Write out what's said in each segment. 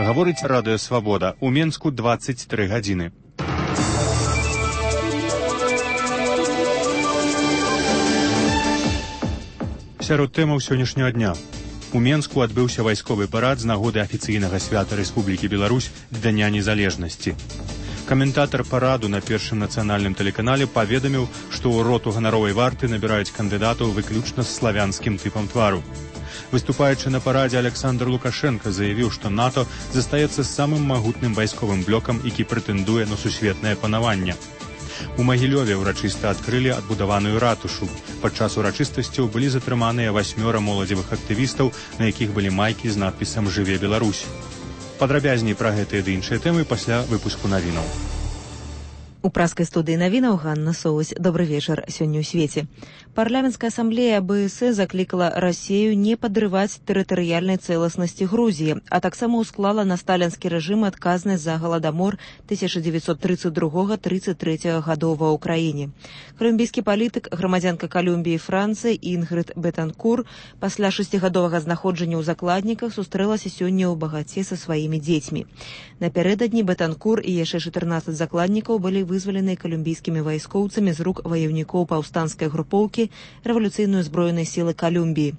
Гаворыць Радыё Свабода. У Менску 23 гадзіны. Сярод тэмаў сённяшняга дня. У Менску адбыўся вайсковы парад з нагоды афіцыйнага свята Рэспублікі Беларусь Дня незалежнасці. Каментатар параду на першым нацыянальным тэлеканале паведаміў, што ў роту ганаровай варты набіраюць кандыдатаў выключна з славянскім тыпам твару. Выступаючы на парадзе, Александр Лукашенко заявіў, што НАТО застаецца самым магутным вайсковым блокам, які прэтэндуе на сусветнае панаванне. У Магілёве ўрачыста адкрылі адбудаваную ратушу. Падчас урачыстасцяў былі затрыманыя 8 моладзевых актывістаў, на якіх былі майкі з надпісам «Жыве Беларусь». Падрабязней пра гэтыя ды іншыя тэмы пасля выпуску навінаў. У праскай студыі навінаў Ганна Соусь. Добры вечар. Сёння ў свеце. Парламенская ассамблея АБС заклікала Расію не падрываць тэрытарыяльнай цэласнасці Грузіі, а таксама ўсклала на сталінскі рэжым адказнасць за галадамор 1932-33 гадоў ва ўкраіне. Колумбійскі палітык, грамадзянка Колумбіі і Францыі Інгрид Бетанкур пасля 6гадовага знаходжання ў закладніках сустрэлася сёння ў багаце са сваімі дзецьмі. Напярэдадні Бетанкур і яшчэ 14 закладнікаў былі вызваленыя колумбійскімі вайскоўцамі з рук ваяўнікоў паўстанцкай групоўкі рэвалюцыйнай узброенай сілы Колумбіі.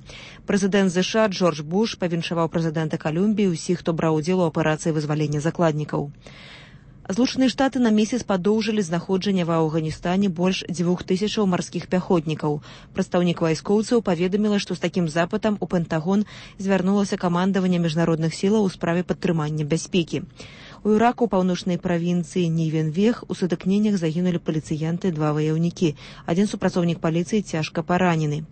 Прэзідэнт ЗША Джордж Буш павіншаваў прэзідэнта Колумбіі ўсіх, хто браў удзел у аперацыі вызвалення закладнікаў. Злучаныя Штаты на месяц падоўжылі знаходжанне ва Афганістане больш 2000 марскіх пяхотнікаў. Прадстаўнік вайскоўцаў паведаміла, што з такім запытам у Пентагон звярнулася камандаванне міжнародных сілаў у справе падтрымання бяспекі. У Іраку, паўночнай правінцыі Нівенвех, у сутыкненнях загінулі паліцыянты 2 ваяўнікі. Адзін супрацоўнік паліцыі цяжка паранены.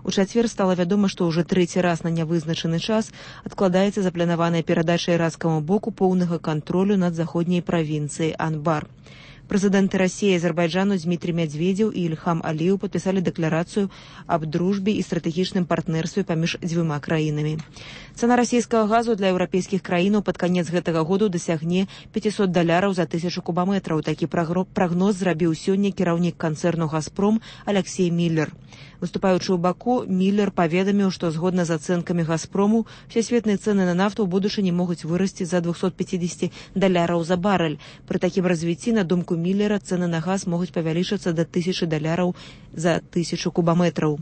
У чацвер стала вядома, што ўжо трэці раз на нявызначаны час адкладаецца запланаваная перадача іракскаму боку поўнага кантролю над заходняй правінцыяй Анбар. Прэзідэнты Расіі і Азербайджану Дмітрий Медведзеў і Ільхам Аліеў падпісалі дэкларацыю аб дружбе і стратэгічным партнерстве паміж дзвюма краінамі. Цана расійскага газу для еўрапейскіх краінаў пад канец гэтага году дасягне $500 за 1000 кубаметраў. Такі прагноз зрабіў сёння кіраўнік канцэрну «Газпром» Алексей Міллер. Выступаючы ў Баку, Міллер паведаміў, што згодна з ацэнкамі «Газпрому» всесветныя цэны на нафту ў будучыні могуць вырасці за $250 за барэль. Пры такім развіцці, на думку Міллера, цэны на газ могуць павялічыцца да $1000 за 1000 кубаметраў.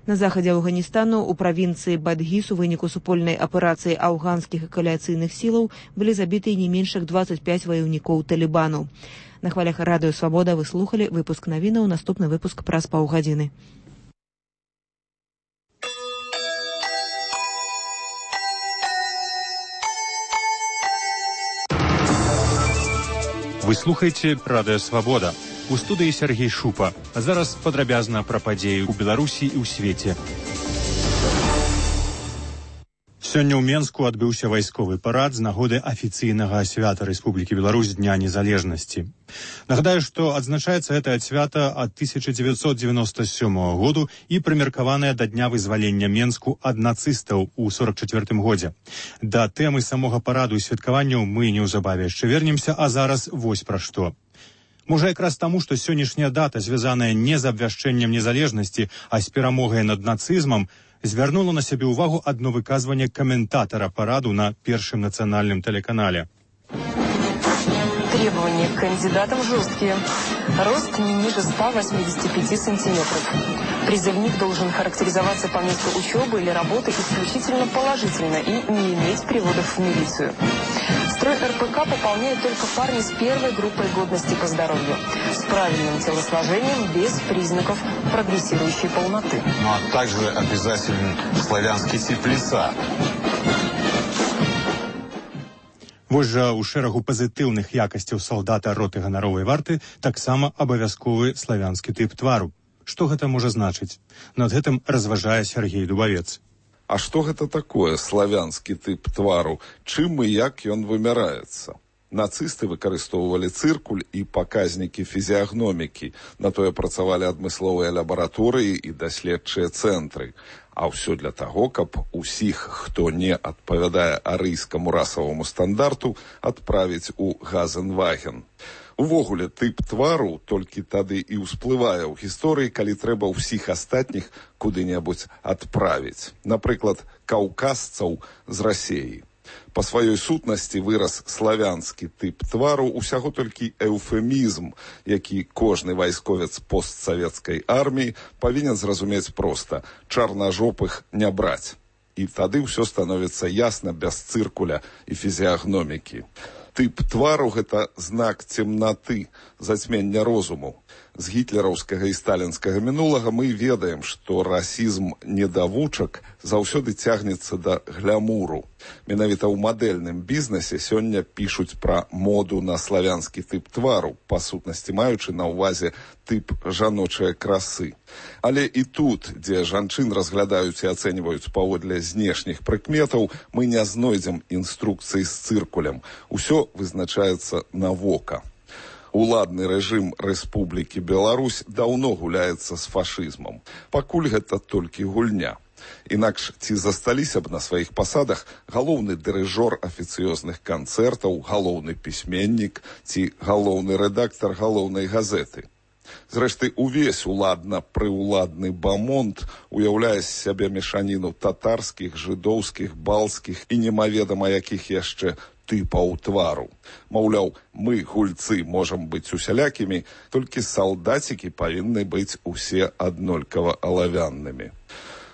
На захадзе Афганістану у правінцыі Бадгіс у выніку супольнай аперацыі афганскіх і кааліцыйных сілаў былі забіты не менш як 25 ваяўнікоў Талібану. На хвалях Радыё Свабода вы слухалі выпуск навінаў. Наступны выпуск праз паўгадзіны. Вы слухаеце Радыё Свабода. У студыі Сергей Шупа. А зараз падрабязна пра падзеі ў Беларусі і ў свеце. Сёння ў Менску адбыўся вайсковы парад з нагоды афіцыйнага свята Рэспублікі Беларусь Дня незалежнасці. Нагадаю, што адзначаецца гэтае свята ад 1997 году і прымеркаванае да дня вызвалення Менску ад нацыстаў у 44 годзе. Да тэмы самога параду і святкаванняў мы неўзабаве яшчэ вернемся, а зараз вось пра што. Можа, якраз таму, што сённяшняя дата, звязаная не з абвяшчэннем незалежнасці, а з перамогай над нацызмам, звярнула на сябе ўвагу адно выказванне каментатара параду на першым нацыянальным тэлеканале. Требования к кандидатам жесткие. Рост не ниже 185 сантиметров. Призывник должен характеризоваться по месту учебы или работы исключительно положительно и не иметь приводов в милицию. Строй РПК пополняют только парни с первой группой годности по здоровью, с правильным телосложением, без признаков прогрессирующей полноты. Ну а также обязателен славянский тип лица. Вось жа ў шэрагу пазітыўных якасцяў салдата роты ганаровай варты таксама абавязковы славянскі тып твару. Што гэта можа значыць? Над гэтым разважае Сергей Дубавец. А што гэта такое славянскі тып твару? Чым і як ён вымяраецца? Нацысты выкарыстоўвалі цыркуль і паказнікі фізіягномікі. На тое працавалі адмысловыя лабараторыі і даследчыя цэнтры. А ўсё для таго, каб усіх, хто не адпавядае арыйскаму расаваму стандарту, адправіць у Газенваген. Увогуле, тып твару толькі тады і ўсплывае ў гісторыі, калі трэба ўсіх астатніх куды-небудзь адправіць. Напрыклад, каўказцаў з Расіі. Па сваёй сутнасці выраз славянскі тып твару усяго толькі эўфемізм, які кожны вайсковец постсавецкай арміі павінен зразумець проста: чарнажопых не браць. І тады ўсё становіцца ясна без цыркуля і фізіягномікі. Тып твару – гэта знак цемнаты, зацьмення розуму. З гітлераўскага і сталінскага мінулага мы ведаем, што расізм недавучак заўсёды цягнецца да глямуру. Менавіта ў мадэльным бізнесе сёння пішуць пра моду на славянскі тып твару, па сутнасці маючы на ўвазе тып жаночай красы. Але і тут, дзе жанчын разглядаюць і ацэньваюць паводле знешніх прыкметаў, мы не знойдзем інструкцый з цыркулем. Усё вызначаецца на вока. Уладны рэжым Рэспублікі Беларусь даўно гуляецца з фашызмам. Пакуль гэта толькі гульня. Інакш ці засталіся б на сваіх пасадах галоўны дырыжор афіцыёзных канцэртаў, галоўны пісьменнік ці галоўны рэдактар галоўнай газеты. Зрэшты, увесь уладна-прыўладны бамонт уяўляе з сябе мешаніну татарскіх, жыдоўскіх, балскіх і немаведама якіх яшчэ тыпаў твару. Маўляў, мы, гульцы, можам быць усялякімі, толькі салдацікі павінны быць усе аднолькава алавяннымі.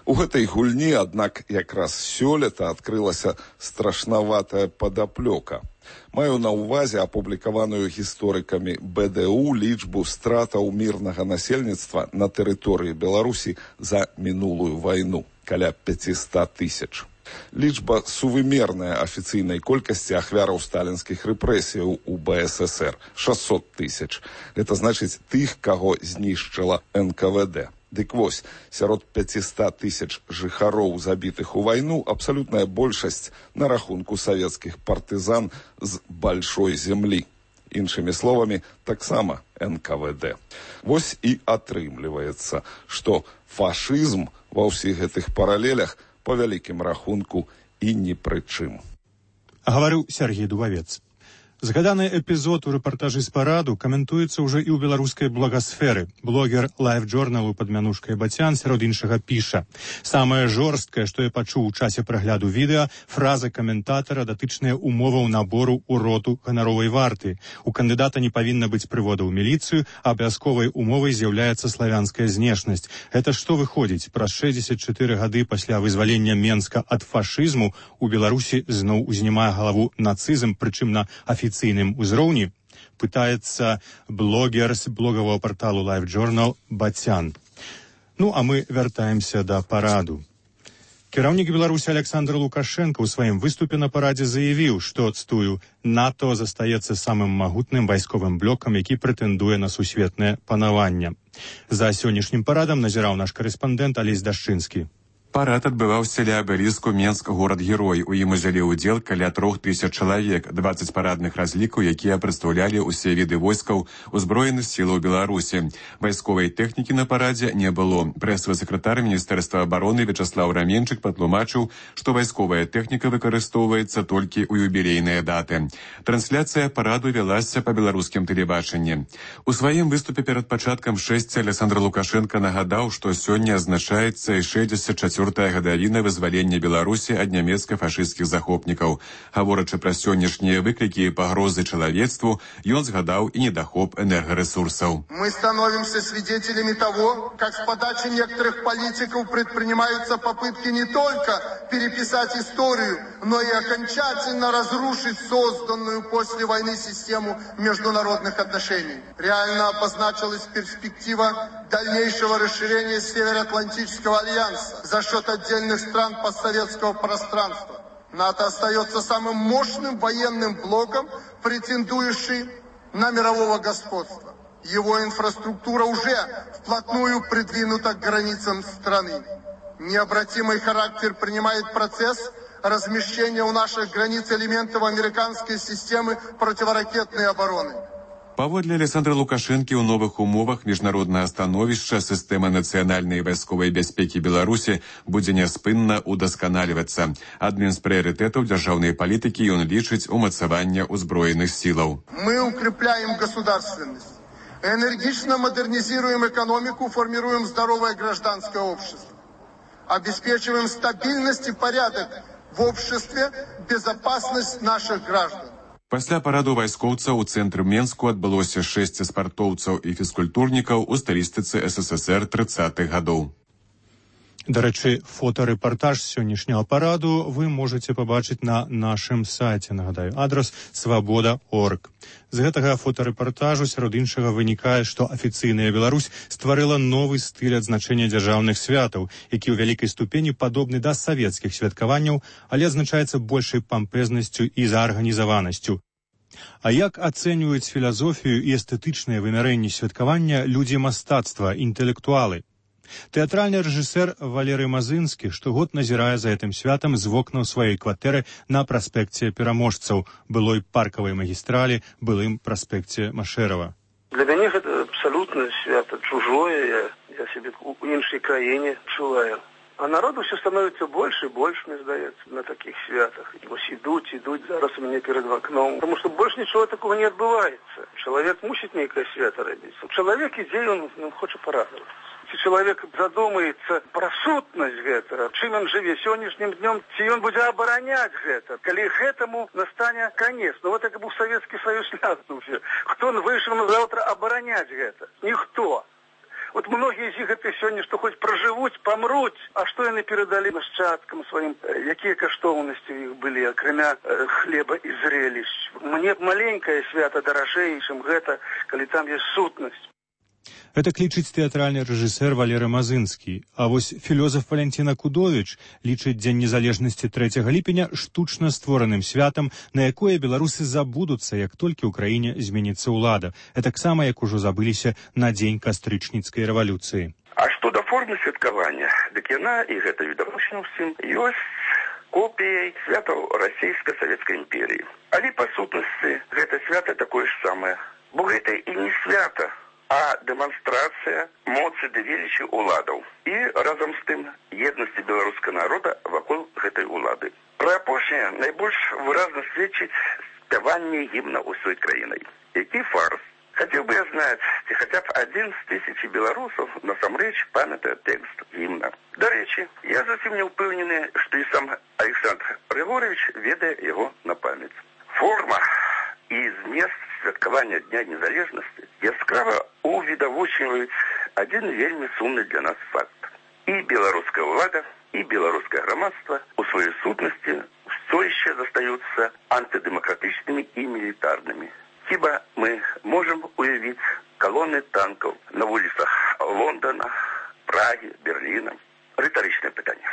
У гэтай гульні, аднак, якраз сёлета адкрылася страшнаватая падаплёка. Маю на ўвазе апублікаваную гісторыкамі БДУ лічбу стратаў мірнага насельніцтва на тэрыторыі Беларусі за мінулую вайну, каля 500 000. Лічба сувымерная афіцыйнай колькасці ахвяраў сталінскіх рэпрэсіяў у БССР – 600 000. Гэта значыць тых, каго знішчыла НКВД. Дык вось, сярод 500 000 жыхароў, забітых у вайну, абсалютная большасць на рахунку савецкіх партызан з большой землі. Іншымі словамі, таксама НКВД. Вось і атрымліваецца, што фашызм ва ўсіх гэтых паралелях по вялікім рахунку і ні пры чым. Гаварыў Сергей Дубавец. Згаданы эпізод у рэпартажы з параду каментуецца ўжо і ў беларускай благасферы. Блогер лайф-джорналу пад мянушкай Бацян сярод іншага піша: «Самае жорсткае, што я пачуў у часе прагляду відэа, фраза каментатара датычная умоваў набору ў роту ганаровай варты. У кандыдата не павінна быць прывода ў міліцыю, а абавязковай умовай з'яўляецца славянская знешнасць. Гэта што выходзіць? Праз 64 гады пасля вызвалення Менска ад фашызму у Беларусі зноў узнімае галаву нацызм, прычым на афіцыйным узроўні?» Пытаецца блогер з блогавого порталу LiveJournal Бацян. Ну, а мы вяртаемся да параду. Кіраўнік Беларусі Александр Лукашенко ў сваім выступе на парадзе заявіў, што, цтую, НАТО застаецца самым магутным вайсковым блокам, які прэтэндуе на сусветнае панаванне. За сённяшнім парадам назіраў наш карэспандэнт Алесь Дашчынскі. Парад адбываўся ля абеліску Менск горад-герой. У ім узялі ўдзел каля 3000 чалавек, 20 парадных разлікаў, якія прадстаўлялі ўсе віды войскаў узброеных сілаў Беларусі. Вайсковай тэхнікі на парадзе не было. Прэсавы сакратар Міністэрства абароны Вячаслаў Раменчык патлумачыў, што вайсковая тэхніка выкарыстоўваецца толькі ў юбілейныя даты. Трансляцыя параду вялася па беларускім тэлебачанні. У сваім выступе перад пачаткам шэсця Александр Лукашенко нагадаў, што сёння азначаецца 64-я гадавіна вызвалення Беларусі ад нямецка-фашысцкіх захопнікаў. Гаворачы пра сённяшнія выклікі і пагрозы чалавецтву, ён згадаў і недахоп энергарэсурсаў. Мы становимся свидетелями того, как с подачи некоторых политиков предпринимаются попытки не только переписать историю, но и окончательно разрушить созданную после войны систему международных отношений. Реально обозначилась перспектива дальнейшего расширения Североатлантического альянса за счет отдельных стран постсоветского пространства. НАТО остается самым мощным военным блоком, претендующий на мирового господства. Его инфраструктура уже вплотную придвинута к границам страны. Необратимый характер принимает процесс размещения у наших границ элементов американской системы противоракетной обороны. Паводле Александра Лукашэнкі ў новых умовах міжнароднага становішча сістэма нацыянальнай вайсковай бяспекі Беларусі будзе няспынна удасканальвацца. Адным з прыярытэтаў дзяржаўнай палітыкі ён лічыць умацаванне ўзброеных сілаў. Мы укрепляем государственность, энергично модернизируем экономику, формируем здоровое гражданское общество, обеспечиваем стабильность и порядок в обществе безопасность наших граждан. Пасля параду вайскоўцаў у цэнтры Менску адбылося 6 спартоўцаў і фізкультурнікаў у стылістыцы СССР 30-х гадоў. Да рэчы, фотарэпартаж сённяшняга параду вы можаце пабачыць на нашым сайце. Нагадаю, адрас свабода.орг. З гэтага фотарэпартажу сярод іншага вынікае, што афіцыйная Беларусь стварыла новы стыль адзначэння дзяржаўных святаў, які ў вялікай ступені падобны да савецкіх святкаванняў, але адзначаецца большай пампезнасцю і заарганізаванасцю. А як ацэньваюць філазофію і эстэтычнае вымярэнне святкавання людзі мастацтва, інтэлектуалы? Тэатральны рэжысэр Валерый Мазынскі штогод назірае за гэтым святам з вокнаў сваёй кватэры на праспекце Пераможцаў, былой паркавай магістралі, былым праспекце Машэрава. Для мяне гэта абсалютна свята чужое, я сябе ў іншай краіне чуваю. А народу все становится больше и больше, мне здаецца, на таких святах. И вот идут, зараз у меня перед окном. Потому что больше ничего такого не отбывается. Человек мусит некое свято родиться. Человек идею, он хочет порадоваться. Если человек задумается про сутнасць гэтага, чым он жыве сённяшнім днём, ці ён будзе абараняць гэта, калі гэтаму настане конец. Ну вот як быў Советский Союз ляснуўся. Хто выйшаў на завтра абараняць гэта? Ніхто. Вот многие из них это сегодня, что хоть проживут, помрут, а что яны передали нашчадкам своим, какие каштоўнасці у них были, акрамя хлеба и зрелищ. Мне маленькое свято дорожей, чем гэта, калі там есть сутнасць. Гэта клічыць тэатральны рэжысэр Валерый Мазынскі. А вось філёзаф Валянціна Кудовіч лічыць Дзень незалежнасці 3 ліпеня штучна створаным святам, на якое беларусы забудуцца, як толькі ў краіне зменіцца ўлада. Таксама, як ужо забыліся на дзень кастрычніцкай рэвалюцыі. А што да формы святкавання, дык яна, і гэта відавочна ўсім, ёсць копіяй святаў расійска-савецкай імперіі. Але па сутнасці гэта свята такое ж самае. Бо гэта і не свята, а дэманстрацыя моцы ды велічы ўладаў і разам з тым еднасці беларускага народа вакол гэтай улады. Пра апошняе найбольш выразна сведчыць спяванне гімна ўсёй краінай. Які фарс? Хацеў бы я знаць, ці хаця б 1 з 1000 беларусаў насамрэч памятае тэкст гімна. Дарэчы, я зусім не ўпэўнены, што і сам Александр Григорьевич ведае яго на памяць. Форма і змест святкавання Дня незалежнасці яскрава увідавочваюць адзін вельмі сумны для нас факт. І беларуская ўлада, і беларускае грамадства у сваёй сутнасці ўсё яшчэ застаюцца антыдэмакратычнымі і мілітарнымі. Хіба мы можам уявіць калоны танкаў на вуліцах Лондона, Прагі, Берліна? Рытарычнае пытанне.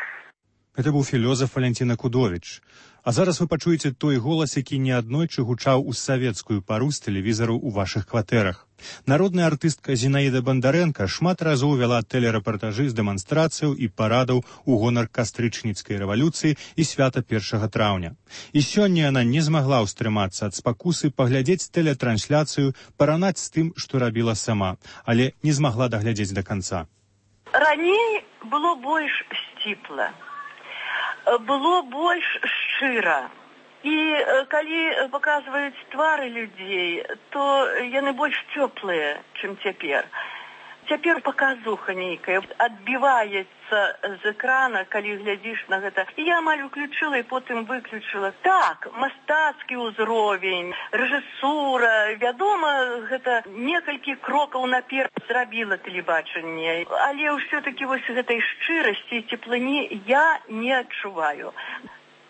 Гэта быў філёзаф Валянціна Кудовіч. А зараз вы пачуеце той голас, які неаднойчы гучаў у савецкую пару з тэлевізару ў вашых кватэрах. Народная артыстка Зінаіда Бандарэнка шмат разоў вяла тэлерэпартажы з дэманстрацыяў і парадаў у гонар кастрычніцкай рэвалюцыі і свята 1 траўня. І сёння яна не змагла ўстрымацца ад спакусы паглядзець тэлетрансляцыю, паранаць з тым, што рабіла сама, але не змагла даглядзець да канца. Раней было больш сціпла. Было больш шчыра. І калі паказваюць твары людзей, то яны больш цёплыя, чым цяпер. Цяпер паказуха нейкая адбіваецца з экрана, калі глядзіш на гэта. І я амаль уключыла і потым выключыла. Так, мастацкі ўзровень, рэжысура, вядома, гэта некалькі крокаў наперад зрабіла тэлебачанне. Але ўсё-такі вось гэтай шчырасці і цеплыні я не адчуваю.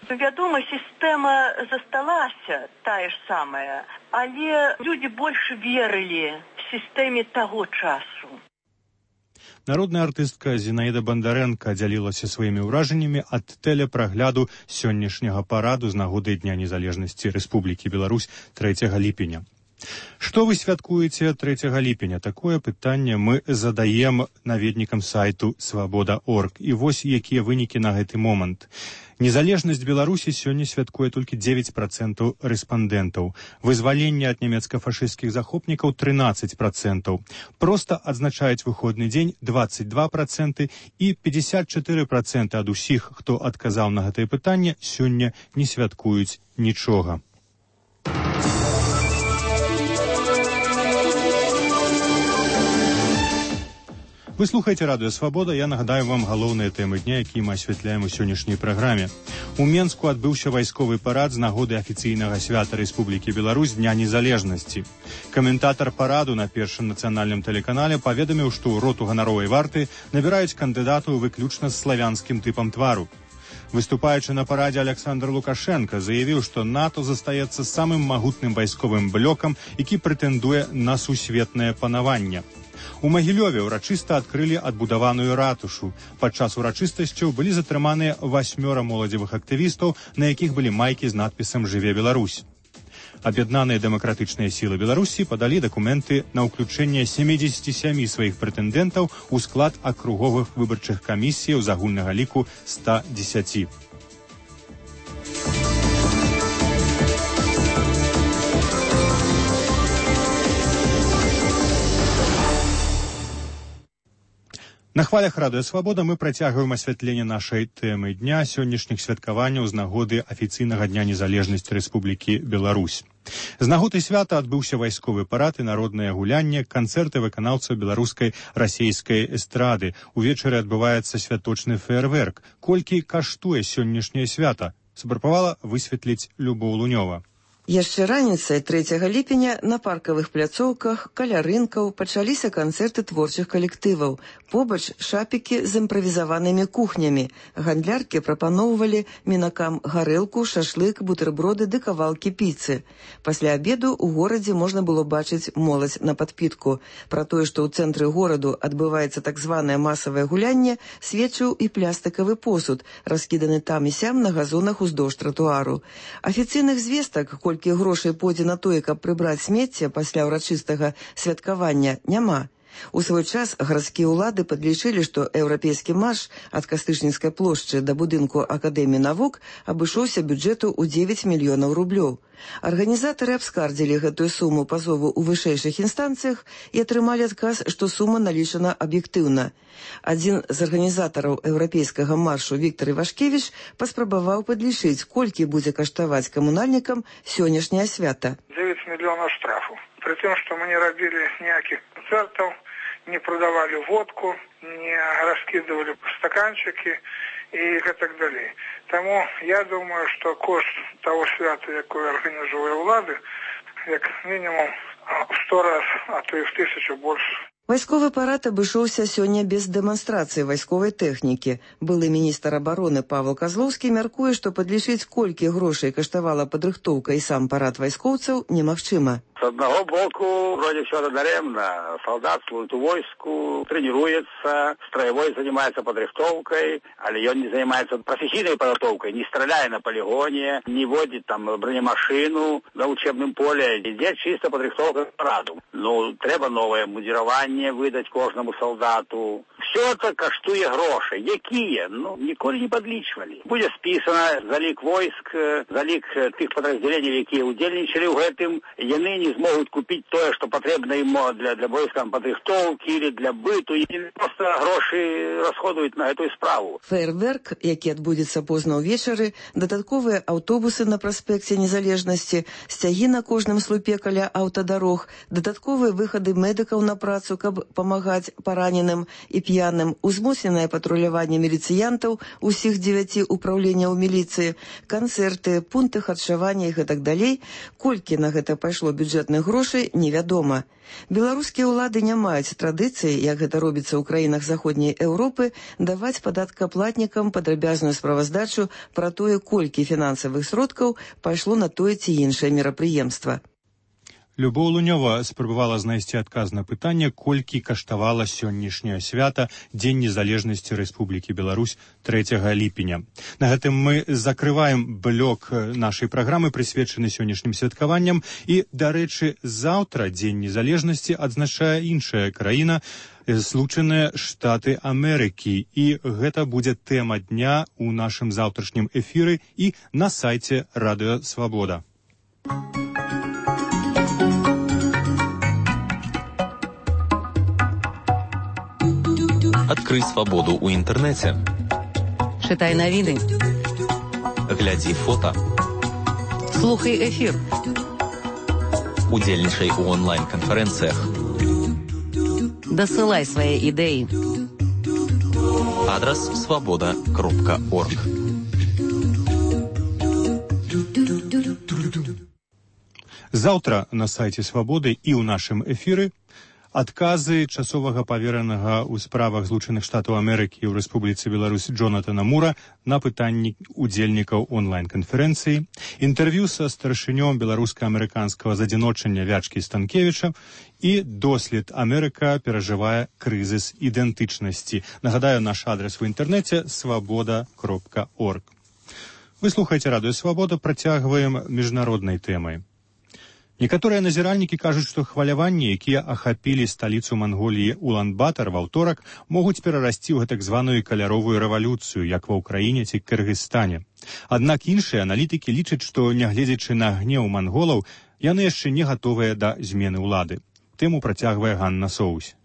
Вядома, сістэма засталася, тая ж самая, але людзі больш верылі сістэме таго часу. Народная артыстка Зінаіда Бандарэнка дзялілася сваімі ўражаннямі ад тэлепрагляду сённяшняга параду з нагоды Дня незалежнасці Рэспублікі Беларусь 3 ліпеня. Што вы святкуеце 3 ліпеня? Такое пытанне мы задаем наведнікам сайту свабода.орг. І вось якія вынікі на гэты момант. Незалежнасць Беларусі сёння святкуе толькі 9% рэспандэнтаў. Вызваленне ад нямецка-фашысцкіх захопнікаў 13%. Проста адзначаюць выходны дзень 22% і 54% ад усіх, хто адказаў на гэтае пытанне, сёння не святкуюць нічога. Вы слухаеце радыё Свабода. Я нагадаю вам галоўныя тэмы дня, якія мы асвятляем у сённяшняй праграме. У Менску адбыўся вайсковы парад з нагоды афіцыйнага свята Рэспублікі Беларусь Дня Незалежнасці. Каментатар параду на першым нацыянальным тэлеканале паведаміў, што ў роту ганаровай варты набіраюць кандыдатаў выключна з славянскім тыпам твару. Выступаючы на парадзе, Александр Лукашенко заявіў, што НАТО застаецца самым магутным вайсковым блокам, які прэтэндуе на сусветнае панаванне. У Магілёве ўрачыста адкрылі адбудаваную ратушу. Падчас урачыстасцяў былі затрыманыя 8 моладзевых актывістаў, на якіх былі майкі з надпісам «Жыве Беларусь». Аб'яднаныя дэмакратычныя сілы Беларусі падалі дакументы на ўключэнне 77 сваіх прэтэндэнтаў у склад акруговых выбарчых камісіяў з агульнага ліку 110. На хвалях радыё Свабода мы працягваем асвятленне нашай тэмы дня сённяшніх святкаванняў з нагоды афіцыйнага Дня Незалежнасці Рэспублікі Беларусь. З нагоды свята адбыўся вайсковы парад і народнае гулянне, канцэрты выканаўцаў беларускай расейскай эстрады. Увечары адбываецца святочны феерверк. Колькі каштуе сённяшняе свята? Спрабавала высветліць Любоў Лунёва. Яшчэ раніцай 3 ліпеня на паркавых пляцоўках каля рынкаў пачаліся канцэрты творчых калектываў. Побач шапікі з імправізаванымі кухнямі. Гандляркі прапаноўвалі мінакам гарэлку, шашлык, бутэрброды ды кавалкі піцы. Пасля абеду ў горадзе можна было бачыць моладзь на падпітку. Пра тое, што ў цэнтры гораду адбываецца так званае масавае гулянне, сведчыў і плястыкавы посуд, раскіданы там і сям на газонах уздоўж тратуару. Афіцыйных звестак, колькі грошай пойдзе на тое, каб прыбраць смецце пасля ўрачыстага святкавання, няма. У свой час гарадскія ўлады падлічылі, што еўрапейскі марш ад Кастычніцкай плошчы да будынку Акадэміі навук абышоўся бюджэту ў 9 мільёнаў рублёў. Арганізатары абскардзілі гэтую суму пазову ў вышэйшых інстанцыях і атрымалі адказ, што сума налічана аб'ектыўна. Адзін з арганізатараў еўрапейскага маршу Віктор Івашкевіч паспрабаваў падлічыць, колькі будзе каштаваць камунальнікам сённяшняе свята. 9 мільёнаў штрафу. При тым, што мы не рабілі ніякіх канцэртаў, не продавали водку, не раскидывали стаканчики и так далее. Тому я думаю, что кошт того свята, якое организує улады, як минимум в 100 раз, а то и в 1000 больше. Вайсковы парад абышоўся сёння без дэманстрацыі вайсковай тэхнікі. Былы міністр абароны Павел Козловскі мяркуе, што падлічыць, колькі грошай каштавала падрыхтоўка і сам парад вайскоўцаў, немагчыма. С одного боку, вроде все даремно. Солдат служит у войску, тренируется, строевой занимается подрихтовкой, але он не занимается профессийной подготовкой, не стреляя на полигоне, не водит там бронемашину на учебном поле. Здесь чисто подрихтовка к параду. Ну, треба новое мундирование выдать кожному солдату. Все это каштуе гроши. Якие? Ну, ніколи не подлічвали. Буде списано залік войск, залік тих подразделений, які удельничали в гэтым, яны не змогут купить то, что потребно им для войска подрихтовки или для быту. И просто гроши расходуют на эту справу. Фейерверк, які адбудзецца позна ўвечары, дадатковыя аўтобусы на праспекце Незалежнасці, сцягі на кожным слупе каля аўтадарог, дадатковыя выхады медыкаў на працу, каб памагаць параненым і п'яным, узмоцненае патруляванне міліцыянтаў усіх 9 упраўленняў міліцыі, канцэрты, пункты харчавання і гэтак далей. Колькі на гэта пайшло бюджэтных грошай, невядома. Беларускія ўлады не маюць традыцыі, як гэта робіцца ў краінах заходняй Еўропы, даваць падаткаплатнікам падрабязную справаздачу пра тое, колькі фінансавых сродкаў пайшло на тое ці іншае мерапрыемства. Любоў Лунёва спрабавала знайсці адказ на пытанне, колькі каштавала сённяшняе свята Дзень незалежнасці Рэспублікі Беларусь 3 ліпеня. На гэтым мы закрываем блок нашай праграмы, прысвечаны сённяшнім святкаванням, і, дарэчы, заўтра Дзень незалежнасці адзначае іншая краіна, Злучаныя Штаты Амерыкі, і гэта будзе тэма дня ў нашым заўтрашнім эфіры і на сайце Радыё Свабода. Адкрый свабоду ў інтэрнэце. Чытай навіны. Глядзі фота. Слухай эфір. Удзельнічай у онлайн-канферэнцыях. Дасылай свае ідэі. адрас svoboda.org. Заўтра на сайце Свабоды і ў нашым эфіры адказы часовага паверанага ў справах Злучаных Штатаў Амерыкі ў Рэспубліцы Беларусь Джонатана Мура на пытанні удзельнікаў онлайн-канферэнцыі, інтэрв'ю са старшынём беларуска-амерыканскага задзіночання Вячкі Станкевіча і дослед «Амерыка перажывае крызіс ідэнтычнасці». Нагадаю, наш адрес в інтэрнэце svoboda.org. Вы слухаеце радыё «Свабода», працягваем міжнароднай тэмай. Некаторыя назіральнікі кажуць, што хваляванні, якія ахапілі сталіцу Манголіі Улан-Батар ва ўторак, могуць перарасці ў гэтак званую каляровую рэвалюцыю, як ва Ўкраіне ці Кыргызстане. Аднак іншыя аналітыкі лічаць, што, нягледзячы на гнеў манголаў, яны яшчэ не гатовыя да змены ўлады. Тэму працягвае Ганна Соусь.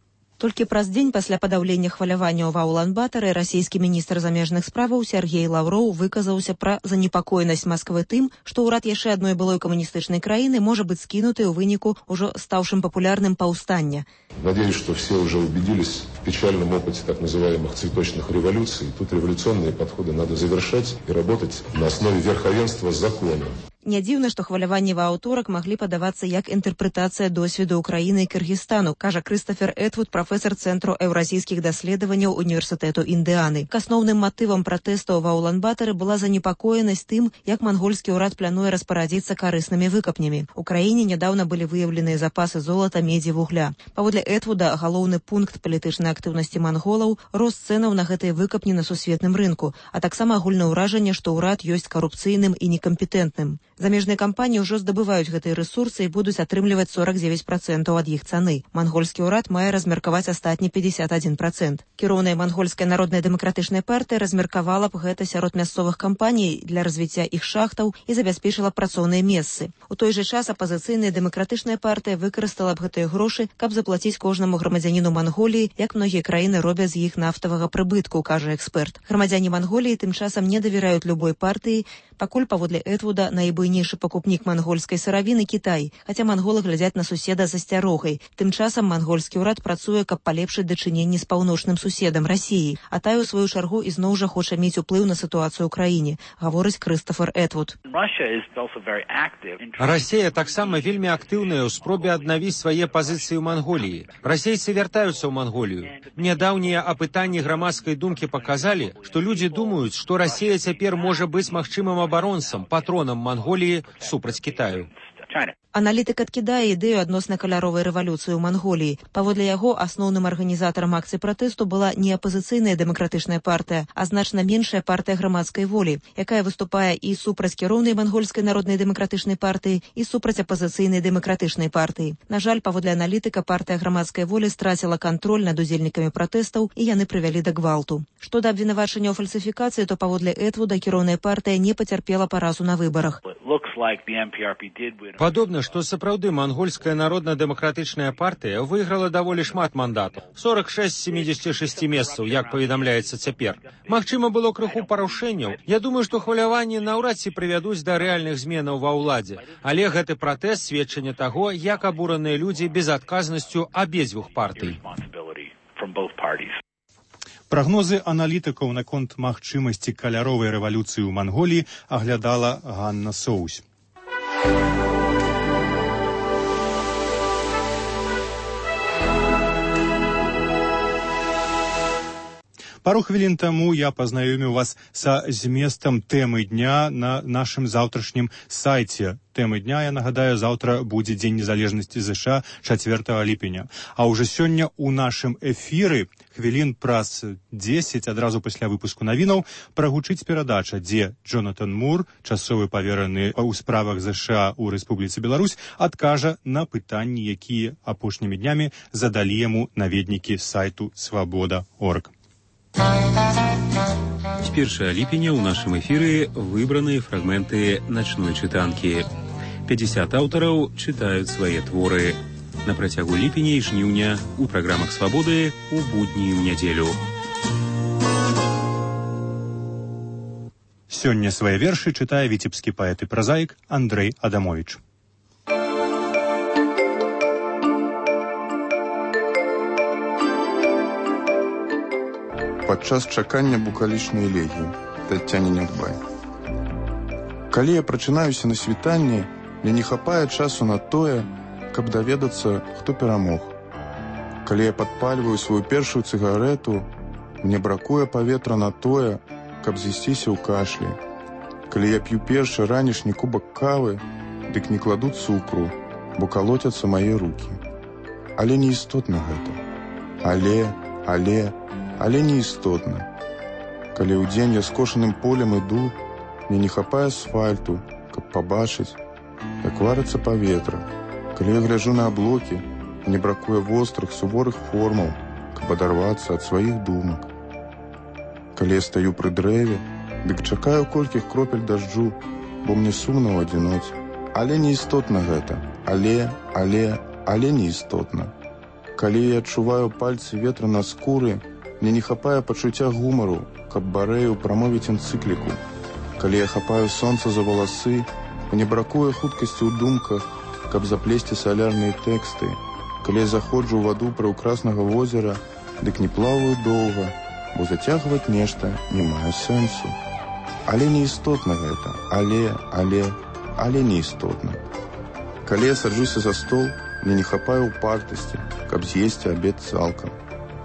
Толькі праз дзень пасля падаўлення хваляванняў ва Улан-Батары расійскі міністр замежных справаў Сергей Лаўроў выказаўся пра занепакоенасць Масквы тым, што ўрад яшчэ адной былой камуністычнай краіны можа быць скінуты ў выніку ўжо стаўшым папулярным паўстання. Надеюсь, что все уже убедились в печальном опыте так называемых цветочных революций. Тут революционные подходы надо завершать и работать на основе верховенства закона. Не дзіўна, што хваляванні ва аўторак маглі падавацца як інтэрпрэтацыя досведу Ўкраіны і Кыргызстану, кажа Крыстафер Этвуд, прафесар Цэнтру еўразійскіх даследаванняў Універсітэту Індыаны. К асноўным матывам пратэстаў ва Улан-Батары была занепакоенасць тым, як мангольскі ўрад плануе распарадзіцца карыснымі выкапнямі. У краіне нядаўна былі выяўленыя запасы золата, медзі, вугля. Паводле Этвуда, галоўны пункт палітычнай актыўнасці манголаў – рост цэнаў на гэтыя выкапні на сусветным рынку, а таксама агульнае ўражанне, што ўрад ёсць карупцыйным і некампетэнтным. Замежныя кампаніі ўжо здабываюць гэтыя рэсурсы і будуць атрымліваць 49% ад іх цаны. Мангольскі ўрад мае размеркаваць астатні 51%. Кіроўная мангольская народная дэмакратычная партыя размеркавала б гэта сярод мясцовых кампаній для развіцця іх шахтаў і забяспечыла працоўныя месцы. У той жа час апазіцыйная дэмакратычная партыя выкарыстала б гэтыя грошы, каб заплаціць кожнаму грамадзяніну Манголіі, як многія краіны робяць з іх нафтавага прыбытку, кажа эксперт. Грамадзяне Манголіі тым часам не давяраюць любой партыі, пакуль паводле Этвуда найбуйнейшы пакупнік мангольскай сыравіны Кітай, хаця манголы глядзяць на суседа з асцярогай. Тым часам мангольскі ўрад працуе, каб палепшыць дачыненні з паўночным суседам Расіі, а тая ў сваю чаргу ізноў жа хоча мець уплыў на сітуацыю ў краіне, гаворыць Крыстафер Этвуд. Расія таксама вельмі актыўная ў спробе аднавіць свае пазіцыі ў Манголіі. Расейцы вяртаюцца ў Манголію. Нядаўнія апытанні грамадскай думкі паказалі, што людзі думаюць, што Расія цяпер можа быць магчымым абаронцам, патронам Манголіі супраць Кітаю. Аналітык адкідае ідэю адносна каляровай рэвалюцыі ў Манголіі. Паводле яго, асноўным арганізатарам акцый пратэсту была не апазіцыйная дэмакратычная партыя, а значна меншая партыя грамадскай волі, якая выступае і супраць кіроўнай мангольскай народнай дэмакратычнай партыі, і супраць апазіцыйнай дэмакратычнай партыі. На жаль, паводле аналітыка, партыя грамадскай волі страціла кантроль над удзельнікамі пратэстаў, і яны прывялі да гвалту. Што да абвінавачання ў фальсіфікацыі, то паводле Этвуда кіроўная партыя не пацярпела паразу на выбарах. Падобна, што сапраўды мангольская народна-дэмакратычная партыя выйграла даволі шмат мандатаў. 46 з 76 месцаў, як паведамляецца цяпер. Магчыма, было крыху парушэнняў. Я думаю, што хваляванні наўрад ці прывядуць да рэальных зменаў ва ўладзе. Але гэты пратэст сведчанне таго, як абураныя людзі безадказнасцю абедзвюх партый. Прагнозы аналітыкаў наконт магчымасці каляровай рэвалюцыі ў Манголіі аглядала Ганна Соусь. Пару хвілін таму я пазнаёміў вас са зместам тэмы дня на нашым заўтрашнім сайце. Тэмы дня, я нагадаю, заўтра будзе Дзень незалежнасці ЗША 4 ліпеня. А ўжо сёння ў нашым эфіры хвілін праз 10, адразу пасля выпуску навінаў, прагучыць перадача, дзе Джонатан Мур, часовы павераны ў справах ЗША ў Рэспубліцы Беларусь, адкажа на пытанні, якія апошнімі днямі задалі яму наведнікі сайту svoboda.org. С 1 ліпеня ў нашым эфіры выбраныя фрагменты начной чытанкі. 50 аўтараў чытаюць свае творы. На працягу ліпеня і жніўня у праграмах «Свабоды» у будні і ў нядзелю. Сёння свае вершы чытае віцебскі паэт і празаік Андрэй Адамовіч. падчас чакання букалічнай элегіі Таццяне Нядбай. Калі я прачынаюся на світанні, мне не хапае часу на тое, каб даведацца, хто перамог. Калі я падпальваю сваю першую цыгарэту, мне бракуе паветра на тое, каб з'ясціся ў кашлі. Калі я п'ю першы ранішні кубак кавы, дык не кладу цукру, бо калоцяцца мае рукі. Але не істотна гэта. Але не істотна. Калі ў дзень я скошаным полем іду, мне не хапае асфальту, каб пабачыць, як варыцца паветра. Калі я гляджу на аблокі, мне бракуе вострых, суворых формаў, каб адарвацца ад сваіх думак. Калі я стаю пры дрэве, дык чакаю колькіх кропель дажджу, бо мне сумна ў адзіноце. Але не істотна гэта. Але не істотна. Калі я адчуваю пальцы ветра на скуры, мне не хапае пачуцця гумару, каб барэю прамовіць энцыкліку. Калі я хапаю сонца за валасы, мне бракуе хуткасці ў думках, каб заплесці салярныя тэксты. Калі я заходжу ў ваду прыўкраснага возера, дык не плаваю доўга, бо зацягваць нешта не мае сэнсу. Але не істотна гэта. Але не істотна. Калі я саджуся за стол, мне не хапае упартасці, каб з'есці абед цалкам.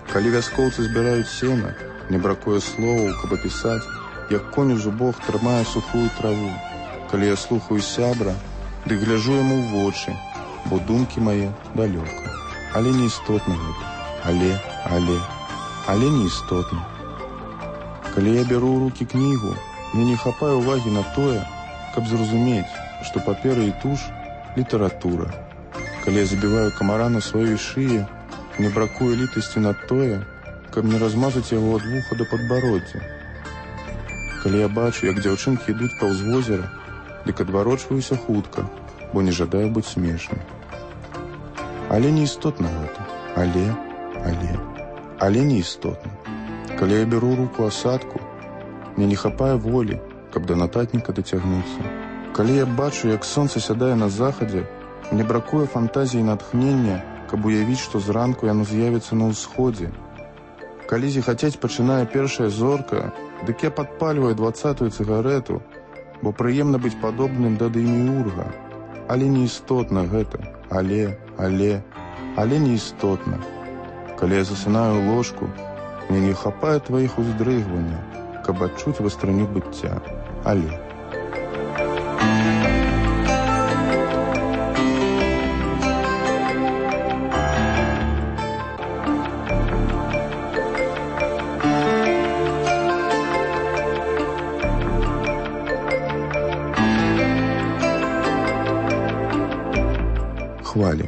Калі вяскоўцы збіраюць сена, мне бракуе словаў, каб апісаць, як конь у зубах трымае сухую траву. Калі я слухаю сябра, дык гляжу яму ў вочы, бо думкі мае далёка. Але не істотна гэта. Але не істотна. Калі я бяру ў рукі кнігу, мне не хапае ўвагі на тое, каб зразумець, што папера і туш – літаратура. Калі я забіваю камара на сваёй шыі, мне бракуе літасці на тое, каб не размазаць яго ад вуха да падбароддзя. Калі я бачу, як дзяўчынкі ідуць паўз возера, дык адварочваюся хутка, бо не жадаю быць смешным. Але не істотна гэта. Але не істотна. Калі я бяру руку асадку, мне не хапае волі, каб да нататніка дацягнуцца. Калі я бачу, як сонца сядае на захадзе, мне бракуе фантазіі і натхнення, каб уявіць, што зранку яно з'явіцца на ўсходзе. Калі зіхацець пачынае першая зорка, дык я падпальваю 20-ю цыгарэту, бо прыемна быць падобным да Дэміурга. Але не істотна гэта. Але не істотна. Калі я засынаю ў ложку, мне не хапае тваіх уздрыгванняў, каб адчуць вастрыню быцця. Але. Хвалі.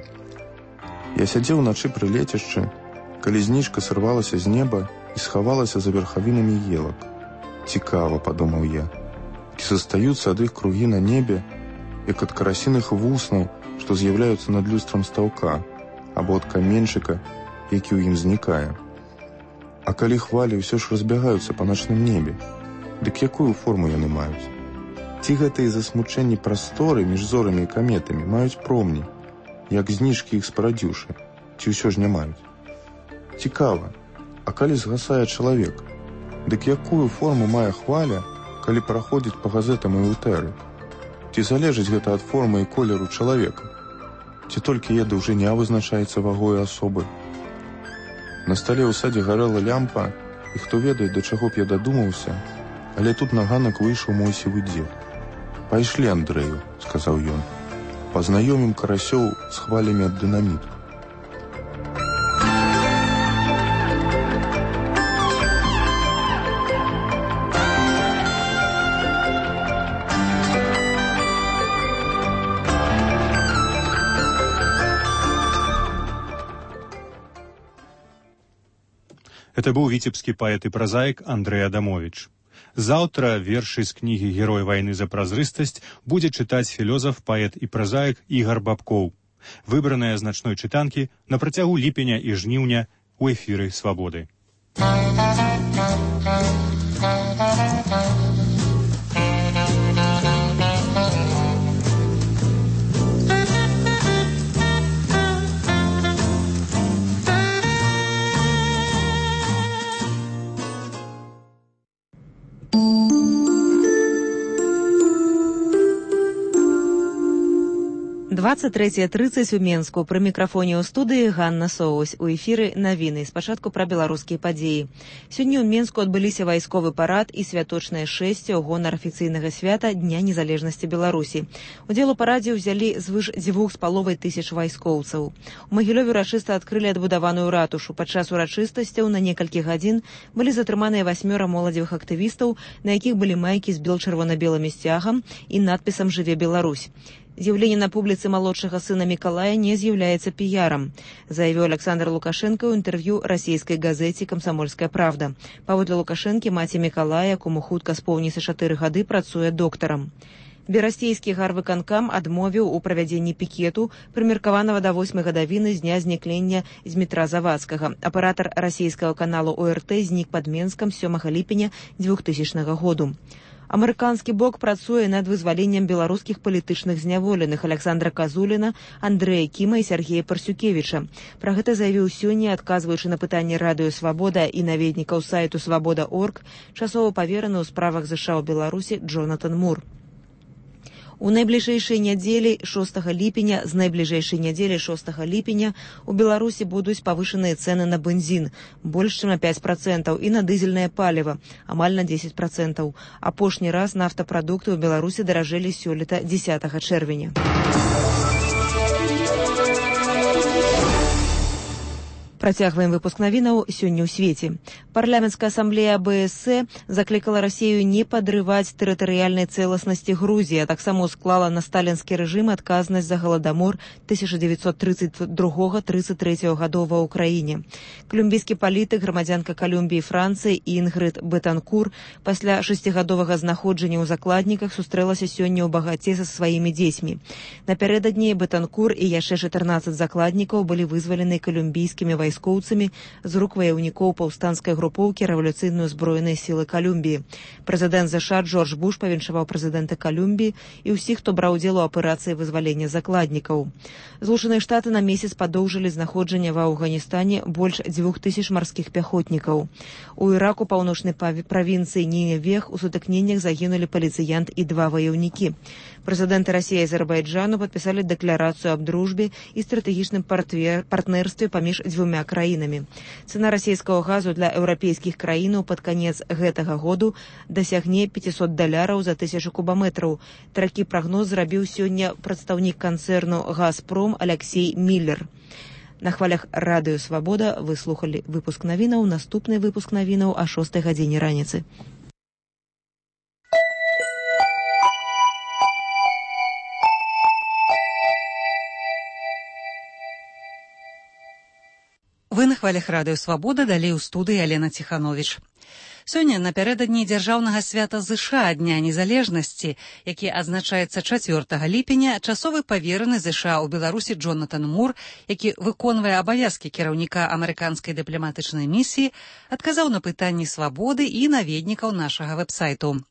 Я сядзеў уначы пры лецішчы, калі зніжка сырвалася з неба і схавалася за верхавінамі елак. Цікава, падумаў я, ці застаюцца ад іх кругі на небе, як ад карасіных вуснаў, што з'яўляюцца над люстрам стаўка, або ад каменьчыка, які ў ім знікае. А калі хвалі ўсё ж разбягаюцца па начным небе, дык якую форму яны маюць? Ці гэтыя засмучэнні прасторы між зорамі і каметамі маюць промні, як зніжкі іх спарадзіўшы, ці ўсё ж не маюць? Цікава, а калі згасае чалавек, дык якую форму мае хваля, калі праходзіць па газетам і ўтэры? Ці залежыць гэта ад формы і колеру чалавека? Ці толькі яе даўжыня вызначаецца вагой асобы? На стале ў садзе гарэла лямпа, і хто ведае, да чаго б я дадумаўся, але тут на ганак выйшаў мой сівы дзед. «Пайшлі, Андрэю», — сказаў ён, — «пазнаёмім карасёў з хвалямі ад дынаміту». Это быў віцебскі паэт і празаік Андрэй Адамовіч. Заўтра вершы з кнігі «Герой вайны за празрыстасць» будзе чытаць філёзаф, паэт і празаік Ігар Бабкоў. Выбраныя з начной чытанкі на працягу ліпеня і жніўня ў эфіры «Свабоды». 23:30 у Менску. Пры мікрафоне ў студыі Ганна Соусь. У эфіры навіны. Спачатку пра беларускія падзеі. Сёння ў Менску адбыліся вайсковы парад і святочнае шэсце ў гонар афіцыйнага свята Дня незалежнасці Беларусі. Удзел у парадзе ўзялі звыш 2500 вайскоўцаў. У Магілёве урачыста адкрылі адбудаваную ратушу. Падчас урачыстасцяў на некалькі гадзін былі затрыманыя 8 моладзевых актывістаў, на якіх былі майкі з бел-чырвона-белымі сцягам і надпісам «Жыве Беларусь». З'яўленне на публіцы малодшага сына Мікалая не з'яўляецца піярам, заявіў Александр Лукашенко ў інтэрв'ю расійскай газеце «Камсамольская правда». Паводле Лукашэнкі, маці Мікалая, кому хутка споўніцца 4 гады, працуе доктарам. Берасцейскі гарвыканкам адмовіў у правядзенні пікету, прымеркаванага да 8 гадавіны з дня знікнення з метра Завадскага. Аператар расійскага каналу ОРТ знік пад Менскам 7 ліпеня 2000 году. Амерыканскі бок працуе над вызваленнем беларускіх палітычных зняволеных Александра Казуліна, Андрэя Кіма і Сергея Парсюкевіча. Пра гэта заявіў сёння, адказваючы на пытанні радыё «Свабода» і наведнікаў сайту «Свабода.орг», часова павераны ў справах ЗША ў Беларусі Джонатан Мур. У найбліжэйшай нядзелі 6 ліпеня у Беларусі будуць павышаныя цэны на бензін больш чым на 5% і на дызельнае паліва амаль на 10%. Апошні раз нафтапрадукты ў Беларусі даражэлі сёлета 10 чэрвеня. Працягваем выпуск навінаў сёння ў свеце. Парламенцкая асамблея АБС заклікала Расію не падрываць тэрытарыяльнай цэласнасці Грузіі, а таксама склала на сталінскі рэжым адказнасць за галадамор 1932-33 гадоў ва ўкраіне. Колумбійскі палітык, грамадзянка Колумбіі і Францыі Інгрид Бетанкур пасля 6гадовага знаходжання ў закладніках сустрэлася сёння ў багаце са сваімі дзецьмі. Напярэдадні Бетанкур і яшчэ 14 закладнікаў былі вызвалены колумбійскімі вайскоўцамі з рук ваяўнікоў паўстанцкай групоўкі рэвалюцыйныя зброеныя сілы Колумбіі. Прэзідэнт ЗША Джордж Буш павіншаваў прэзідэнта Колумбіі і ўсіх, хто браў удзел у аперацыі вызвалення закладнікаў. Злучаныя Штаты на месяц падоўжылі знаходжанне ва Афганістане больш 2000 марскіх пяхотнікаў. У Іраку, паўночнай правінцыі Ніневех, у сутыкненнях загінулі паліцыянт і 2 ваяўнікі. Прэзідэнты Расіі і Азербайджану падпісалі дэкларацыю аб дружбе і стратэгічным партнерстве паміж дзвюмя краінамі. Цана расійскага газу для еўрапейскіх краінаў пад канец гэтага году дасягне $500 за 1000 кубаметраў. Такі прагноз зрабіў сёння прадстаўнік канцэрну «Газпром» Алексей Міллер. На хвалях радыё «Свабода» вы слухалі выпуск навінаў. Наступны выпуск навінаў о 6 гадзіне раніцы. Вы на хвалях радыё «Свабода», далей у студыі Алена Ціхановіч. Сёння напярэдадні дзяржаўнага свята ЗША Дня незалежнасці, які адзначаецца 4 ліпеня, часовы павераны ЗША ў Беларусі Джонатан Мур, які выконвае абавязкі кіраўніка амерыканскай дыпламатычнай місіі, адказаў на пытанні «Свабоды» і наведнікаў нашага вэб-сайту.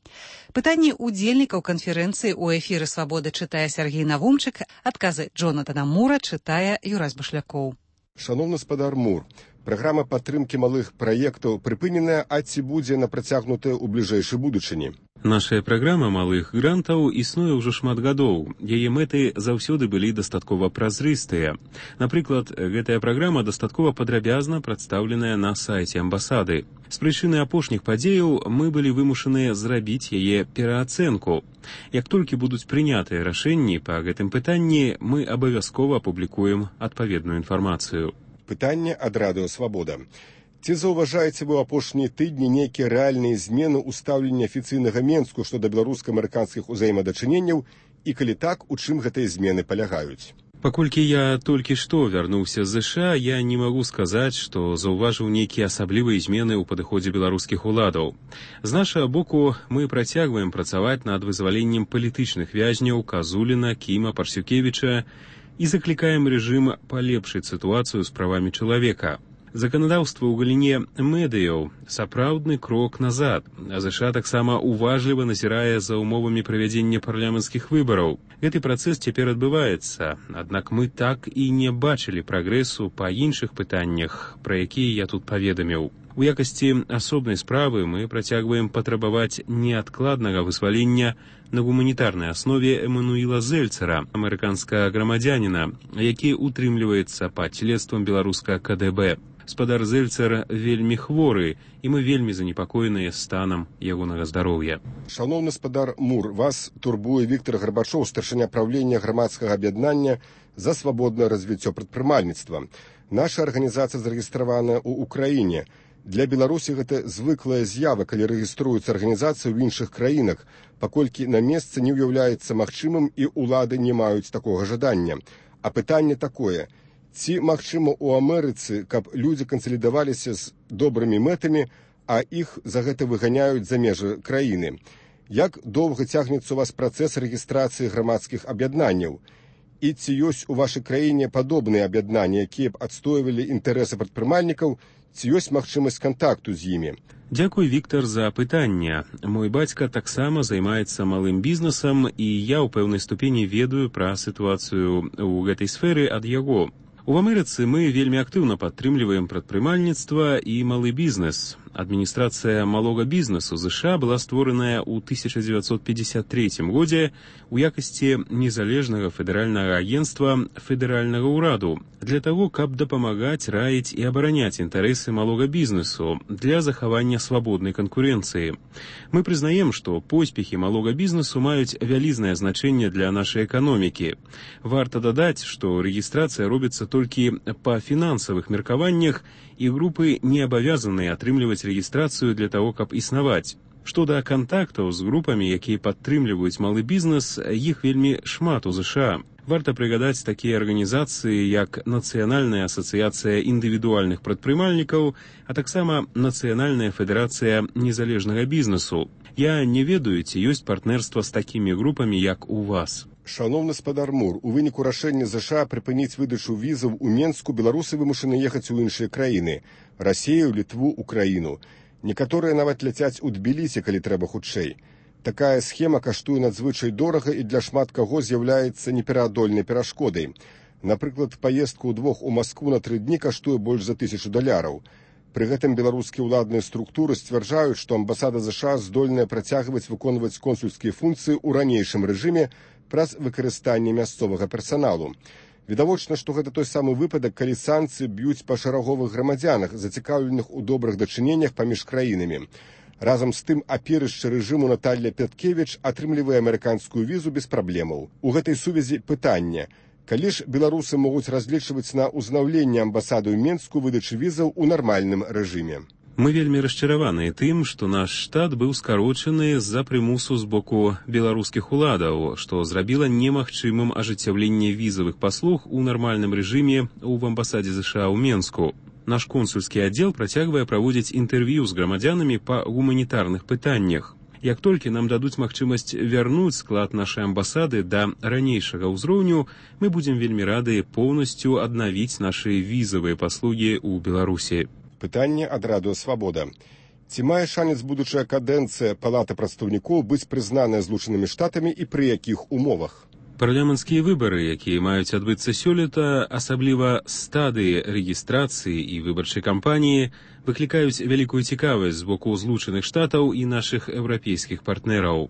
Пытанні удзельнікаў канферэнцыі ў эфіры «Свабоды» чытае Сергей Навумчык, адказы Джонатана Мура чытае Юрась Башлякоў. Шановны спадар Мур, праграма падтрымкі малых праектаў прыпыненая, а ці будзе напрацягнутая ў бліжэйшай будучыні? Наша праграма малых грантаў існуе ўжо шмат гадоў. Яе мэты заўсёды былі дастаткова празрыстыя. Напрыклад, гэтая праграма дастаткова падрабязна прадстаўленая на сайце амбасады. З прычыны апошніх падзеяў мы былі вымушаныя зрабіць яе пераацэнку. Як толькі будуць прынятыя рашэнні па гэтым пытанні, мы абавязкова апублікуем адпаведную інфармацыю. Пытанне ад радыё «Свабода». Ці заўважаеце вы ў апошнія тыдні нейкія рэальныя змены ў стаўленні афіцыйнага Менску што да беларуска-амерыканскіх узаемадачыненняў і калі так, у чым гэтыя змены палягаюць? Паколькі я толькі што вярнуўся з ЗША, я не магу сказаць, што заўважыў нейкія асаблівыя змены ў падыходзе беларускіх уладаў. З нашага боку мы працягваем працаваць над вызваленнем палітычных вязняў Казуліна, Кіма, Парсюкевіча і заклікаем рэжым палепшыць сітуацыю з правамі чалавека. Заканадаўства ў галіне медыяў сапраўдны крок назад, а ЗША таксама уважліва назірае за умовамі правядзення парламенцкіх выбараў. Гэты працэс цяпер адбываецца, аднак мы так і не бачылі прагрэсу па іншых пытаннях, пра якія я тут паведаміў. У якасці асобнай справы мы працягваем патрабаваць неадкладнага вызвалення на гуманітарнай аснове Эммануіла Зельцера, амерыканскага грамадзяніна, які утрымліваецца пад следствам беларускага КДБ. Спадар Зельцер вельмі хворы, і мы вельмі занепакоеныя станам ягонага здароўя. Шановны спадар Мур, вас турбуе Віктор Гарбачоў, старшыня правлення грамадскага аб'яднання за свабоднае развіццё прадпрымальніцтва. Наша арганізацыя зарэгістраваная ў Украіне. Для Беларусі гэта звыклая з'ява, калі рэгіструюцца арганізацыі ў іншых краінах, паколькі на месцы не ўяўляецца магчымым і ўлады не маюць такога жадання. А пытанне такое: ці магчыма ў Амерыцы, каб людзі кансалідаваліся з добрымі мэтамі, а іх за гэта выганяюць за межы краіны? Як доўга цягнецца у вас працэс рэгістрацыі грамадскіх аб'яднанняў? І ці ёсць у вашай краіне падобныя аб'яднанні, якія б адстойвалі інтарэсы прадпрымальнікаў, ці ёсць магчымасць кантакту з імі? Дзякуй, Віктор, за пытанне. Мой бацька таксама займаецца малым бізнесам, і я ў пэўнай ступені ведаю пра сітуацыю ў гэтай сферы ад яго. У Амерыцы мы вельмі актыўна падтрымліваем прадпрымальніцтва і малы бізнес. Адміністрацыя малога бізнесу ЗША была створаная ў 1953 годзе у якасці незалежнага федэральнага агенцтва федэральнага ўраду для таго, каб дапамагаць, раіць і абараняць інтарэсы малога бізнесу для захавання свабоднай канкурэнцыі. Мы прызнаем, што поспехі малога бізнесу маюць вялізнае значэнне для нашай эканомікі. Варта дадаць, што рэгістрацыя робіцца толькі па фінансавых меркаваннях, і групы не абавязаныя атрымліваць рэгістрацыю для таго, каб існаваць. Што да кантактаў з групамі, якія падтрымліваюць малы бізнес, іх вельмі шмат у ЗША. Варта прыгадаць такія арганізацыі, як Нацыянальная асацыяцыя індывідуальных прадпрымальнікаў, а таксама Нацыянальная федэрацыя незалежнага бізнесу. Я не ведаю, ці ёсць партнерства з такімі групамі, як у вас. Шановны спадар Мур, у выніку рашэння ЗША прыпыніць выдачу візаў у Менску беларусы вымушаны ехаць у іншыя краіны – Расію, Літву, Украіну. Некаторыя нават ляцяць у Тбілісі, калі трэба хутчэй. Такая схема каштуе надзвычай дорага і для шмат каго з'яўляецца непераадольнай перашкодай. Напрыклад, паездка ўдвох у Маскву на 3 дні каштуе больш за $1000. Пры гэтым беларускія ўладныя структуры сцвярджаюць, што амбасада ЗША здольная працягваць выконваць консульскія функцыі ў ранейшым рэжыме праз выкарыстанне мясцовага персаналу. Відавочна, што гэта той самы выпадак, калі санкцыі б'юць па шараговых грамадзянах, зацікаўленых у добрых дачыненнях паміж краінамі. Разам з тым, аперышча рэжыму Наталья Пяткевіч атрымлівае амерыканскую візу без праблемаў. У гэтай сувязі пытанне: калі ж беларусы могуць разлічваць на ўзнаўленне амбасады ў Менску выдачы візаў у нармальным рэжыме? Мы вельмі расчараваныя тым, што наш штат быў скарочаны з-за прымусу з боку беларускіх уладаў, што зрабіла немагчымым ажыццяўленне візавых паслуг у нармальным рэжыме ў амбасадзе ЗША ў Менску. Наш консульскі аддзел працягвае праводзіць інтэрв'ю з грамадзянамі па гуманітарных пытаннях. Як толькі нам дадуць магчымасць вярнуць склад нашай амбасады да ранейшага ўзроўню, мы будзем вельмі рады поўнасцю аднавіць нашы візавыя паслугі ў Беларусі. Пытанне ад радыё «Свабода». Ці мае шанец будучая кадэнцыя Палаты прадстаўнікоў быць прызнаная Злучанымі Штатамі і пры якіх умовах? Парламенцкія выбары, якія маюць адбыцца сёлета, асабліва стадыі рэгістрацыі і выбарчай кампаніі, выклікаюць вялікую цікавасць з боку Злучаных Штатаў і нашых еўрапейскіх партнераў.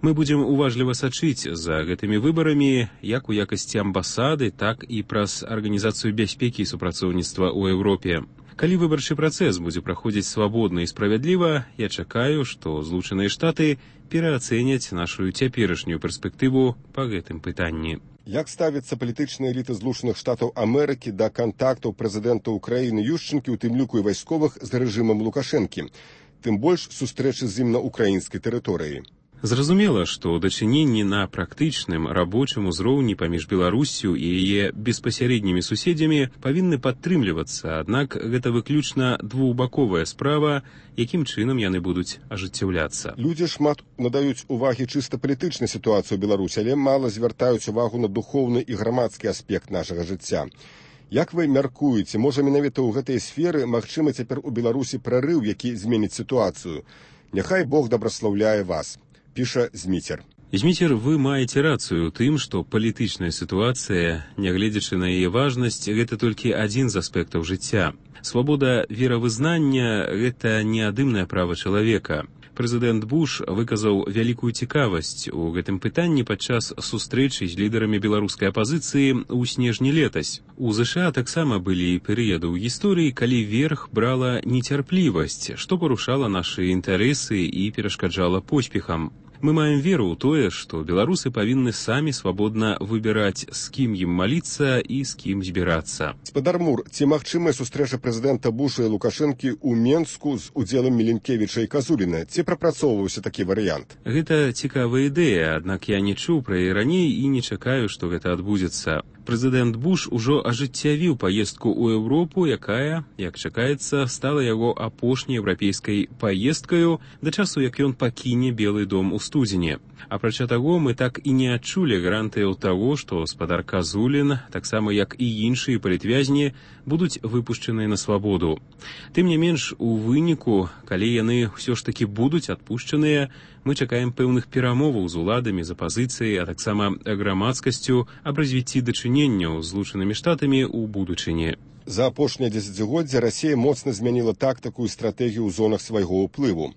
Мы будзем уважліва сачыць за гэтымі выбарамі як у якасці амбасады, так і праз Арганізацыю бяспекі і супрацоўніцтва ў Еўропе. Калі выбарчы працэс будзе праходзіць свабодна і справядліва, я чакаю, што Злучаныя Штаты пераацэняць нашу цяперашнюю перспектыву па гэтым пытанні. Як ставіцца палітычная эліта Злучаных Штатаў Амерыкі да кантактаў прэзідэнта Украіны Ющенкі, у тым ліку і вайсковых, з рэжымам Лукашэнкі, тым больш сустрэчы з ім на украінскай тэрыторыі? Зразумела, што дачыненні на практычным рабочым узроўні паміж Беларуссю і яе беспасярэднімі суседзямі павінны падтрымлівацца, аднак гэта выключна двухбаковая справа, якім чынам яны будуць ажыццяўляцца. Людзі шмат надаюць увагі чыста палітычнай сітуацыі ў Беларусі, але мала звяртаюць увагу на духоўны і грамадскі аспект нашага жыцця. Як вы мяркуеце, можа менавіта ў гэтай сферы магчымы цяпер у Беларусі прарыў, які зменіць сітуацыю? Няхай Бог дабраслаўляе вас. Піша Зміцер. Зміцер, вы маеце рацыю ў тым, што палітычная сітуацыя, нягледзячы на яе важнасць, гэта толькі адзін з аспектаў жыцця. Свабода веравызнання – гэта неадымнае права чалавека. Прэзідэнт Буш выказаў вялікую цікавасць у гэтым пытанні падчас сустрэчы з лідарамі беларускай апазіцыі ў снежні летась. У ЗША таксама былі перыяды ў гісторыі, калі верх брала нецярплівасць, што парушала нашы інтарэсы і перашкаджала поспехам. Мы маем веру ў тое, што беларусы павінны самі свабодна выбіраць, з кім ім маліцца і з кім збірацца. Спадар Мур, ці магчымая сустрэча прэзідэнта Буша і Лукашэнкі ў Менску з удзелам Міленкевіча і Казуліна? Ці прапрацоўваўся такі варыянт? Гэта цікавая ідэя, аднак я не чуў пра яе раней і не чакаю, што гэта адбудзецца. Прэзідэнт Буш ужо ажыццявіў паездку ў Еўропу, якая, як чакаецца, стала яго апошняй еўрапейскай паездкаю да часу, як ён пакіне Белы дом у студзені. Апрача таго, мы так і не адчулі гарантыяў таго, што спадар Казулін, таксама як і іншыя палітвязні, будуць выпушчаныя на свабоду. Тым не менш, у выніку, калі яны ўсё ж такі будуць адпушчаныя, мы чакаем пэўных перамоваў з уладамі, з апазіцыяй, а таксама грамадскасцю аб развіцці дачыненняў з Злучанымі Штатамі ў будучыні. За апошняе дзесяцігоддзе Расія моцна змяніла тактыку і стратэгію ў зонах свайго ўплыву.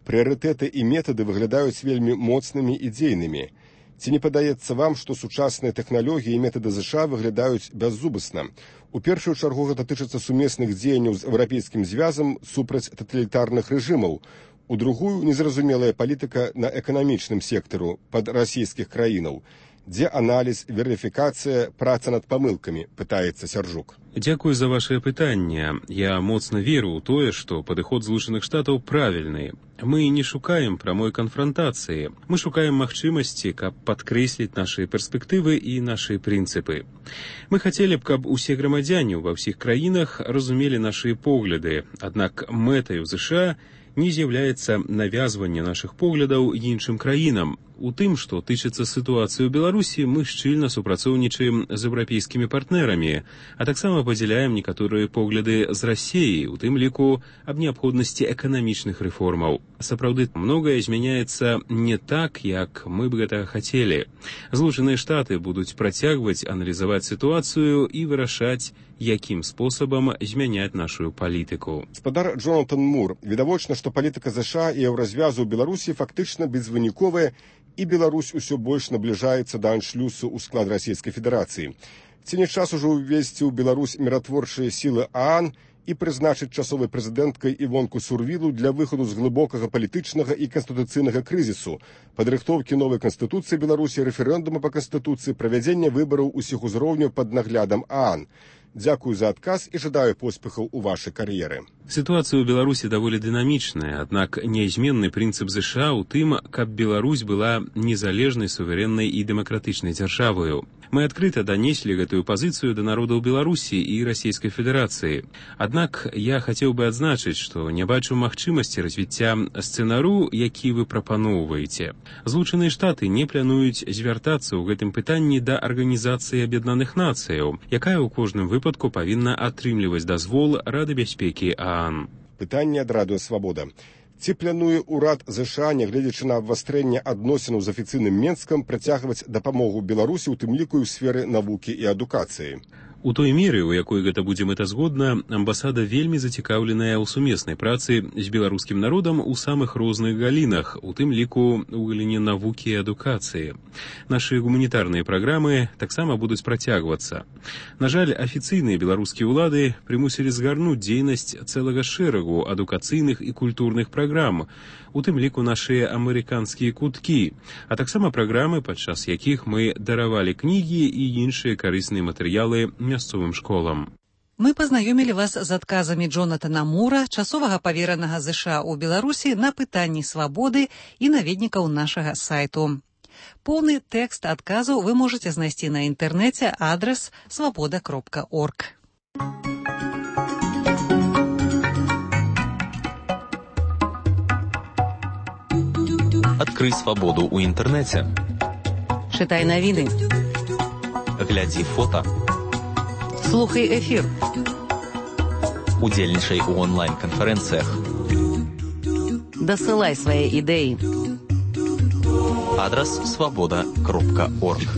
Прыярытэты і метады выглядаюць вельмі моцнымі і дзейнымі. Ці не падаецца вам, што сучасныя тэхналогіі і метады ЗША выглядаюць бяззубасна? У першую чаргу гэта тычыцца сумесных дзеянняў з еўрапейскім звязам супраць таталітарных рэжымаў. У другую незразумелая палітыка на эканамічным сектару пад расійскіх краінаў. Дзе аналіз, верыфікацыя, праца над памылкамі, пытаецца Сяржук. Дзякую за вашае пытанне. Я моцна веру ў тое, што падыход Злучаных Штатаў правільны. Мы не шукаем прамой канфрантацыі. Мы шукаем магчымасці, каб падкрэсліць нашы перспектывы і нашы прынцыпы. Мы хацелі б, каб усе грамадзяне ва ўсіх краінах разумелі нашы погляды, аднак мэтаю ЗША не з'яўляецца навязванне нашых поглядаў іншым краінам. У тым, што тычыцца сітуацыі ў Беларусі, мы шчыльна супрацоўнічаем з еўрапейскімі партнерамі, а таксама падзяляем некаторыя погляды з Расіяй, у тым ліку аб неабходнасці эканамічных рэформаў. Сапраўды, многае змяняецца не так, як мы б гэтага хацелі. Злучаныя Штаты будуць працягваць аналізаваць сітуацыю і вырашаць, якім спосабам змяняць нашу палітыку. Спадар Джонатан Мур, відавочна, што палітыка ЗША і еўразвязу ў Беларусі фактычна безвыніковая, і Беларусь усё больш набліжаецца да аншлюсу ў склад Расійскай Федэрацыі. Ці не час ужо ўвесці ў Беларусь міратворчыя сілы ААН і прызначыць часовай прэзідэнткай Івонку Сурвілу для выхаду з глыбокага палітычнага і канстытуцыйнага крызісу, падрыхтоўкі новай канстытуцыі Беларусі, рэферэндума па канстытуцыі, правядзення выбараў усіх узроўняў пад наглядам ААН. Дзякую за адказ і жадаю поспехаў у вашай кар'еры. Сітуацыя ў Беларусі даволі дынамічная, аднак нязменны прынцып ЗША ў тым, каб Беларусь была незалежнай, суверэннай і дэмакратычнай дзяржавою. Мы адкрыта данеслі гэтую пазіцыю да народаў Беларусі і Расійскай Федэрацыі. Аднак я хацеў бы адзначыць, што не бачу магчымасці развіцця сцэнару, які вы прапаноўваеце. Злучаныя Штаты не плануюць звяртацца ў гэтым пытанні да Арганізацыі Аб'яднаных Нацыяў, якая ў кожным выпадку павінна атрымліваць дазвол Рады бяспекі ААН. Пытанне ад Радыё Свабода. Ці плануе ўрад ЗША, нягледзячы на абвастрэнне адносінаў з афіцыйным Менскам, працягваць дапамогу Беларусі, у тым ліку ў сферы навукі і адукацыі? У той меры, у якой гэта будзе мэтазгодна, амбасада вельмі зацікаўленая ў сумеснай працы з беларускім народам у самых розных галінах, у тым ліку ў галіне навукі і адукацыі. Нашы гуманітарныя праграмы таксама будуць працягвацца. На жаль, афіцыйныя беларускія ўлады прымусілі згарнуць дзейнасць цэлага шэрагу адукацыйных і культурных праграм, у тым ліку нашыя амерыканскія куткі, а таксама праграмы, падчас якіх мы даравалі кнігі і іншыя карысныя матэрыялы мясцовым школам. Мы пазнаёмілі вас з адказамі Джонатана Мура, часовага паверанага ЗША ў Беларусі, на пытанні свабоды і наведнікаў нашага сайту. Поўны тэкст адказу вы можаце знайсці на інтэрнэце, адрас свабода.орг. Адкрый свабоду ў інтэрнэце. Чытай навіны. Глядзі фота. Слухай эфір. Удзельнічай у онлайн-канферэнцыях. Дасылай свае ідэі. Адрас свабода.орг.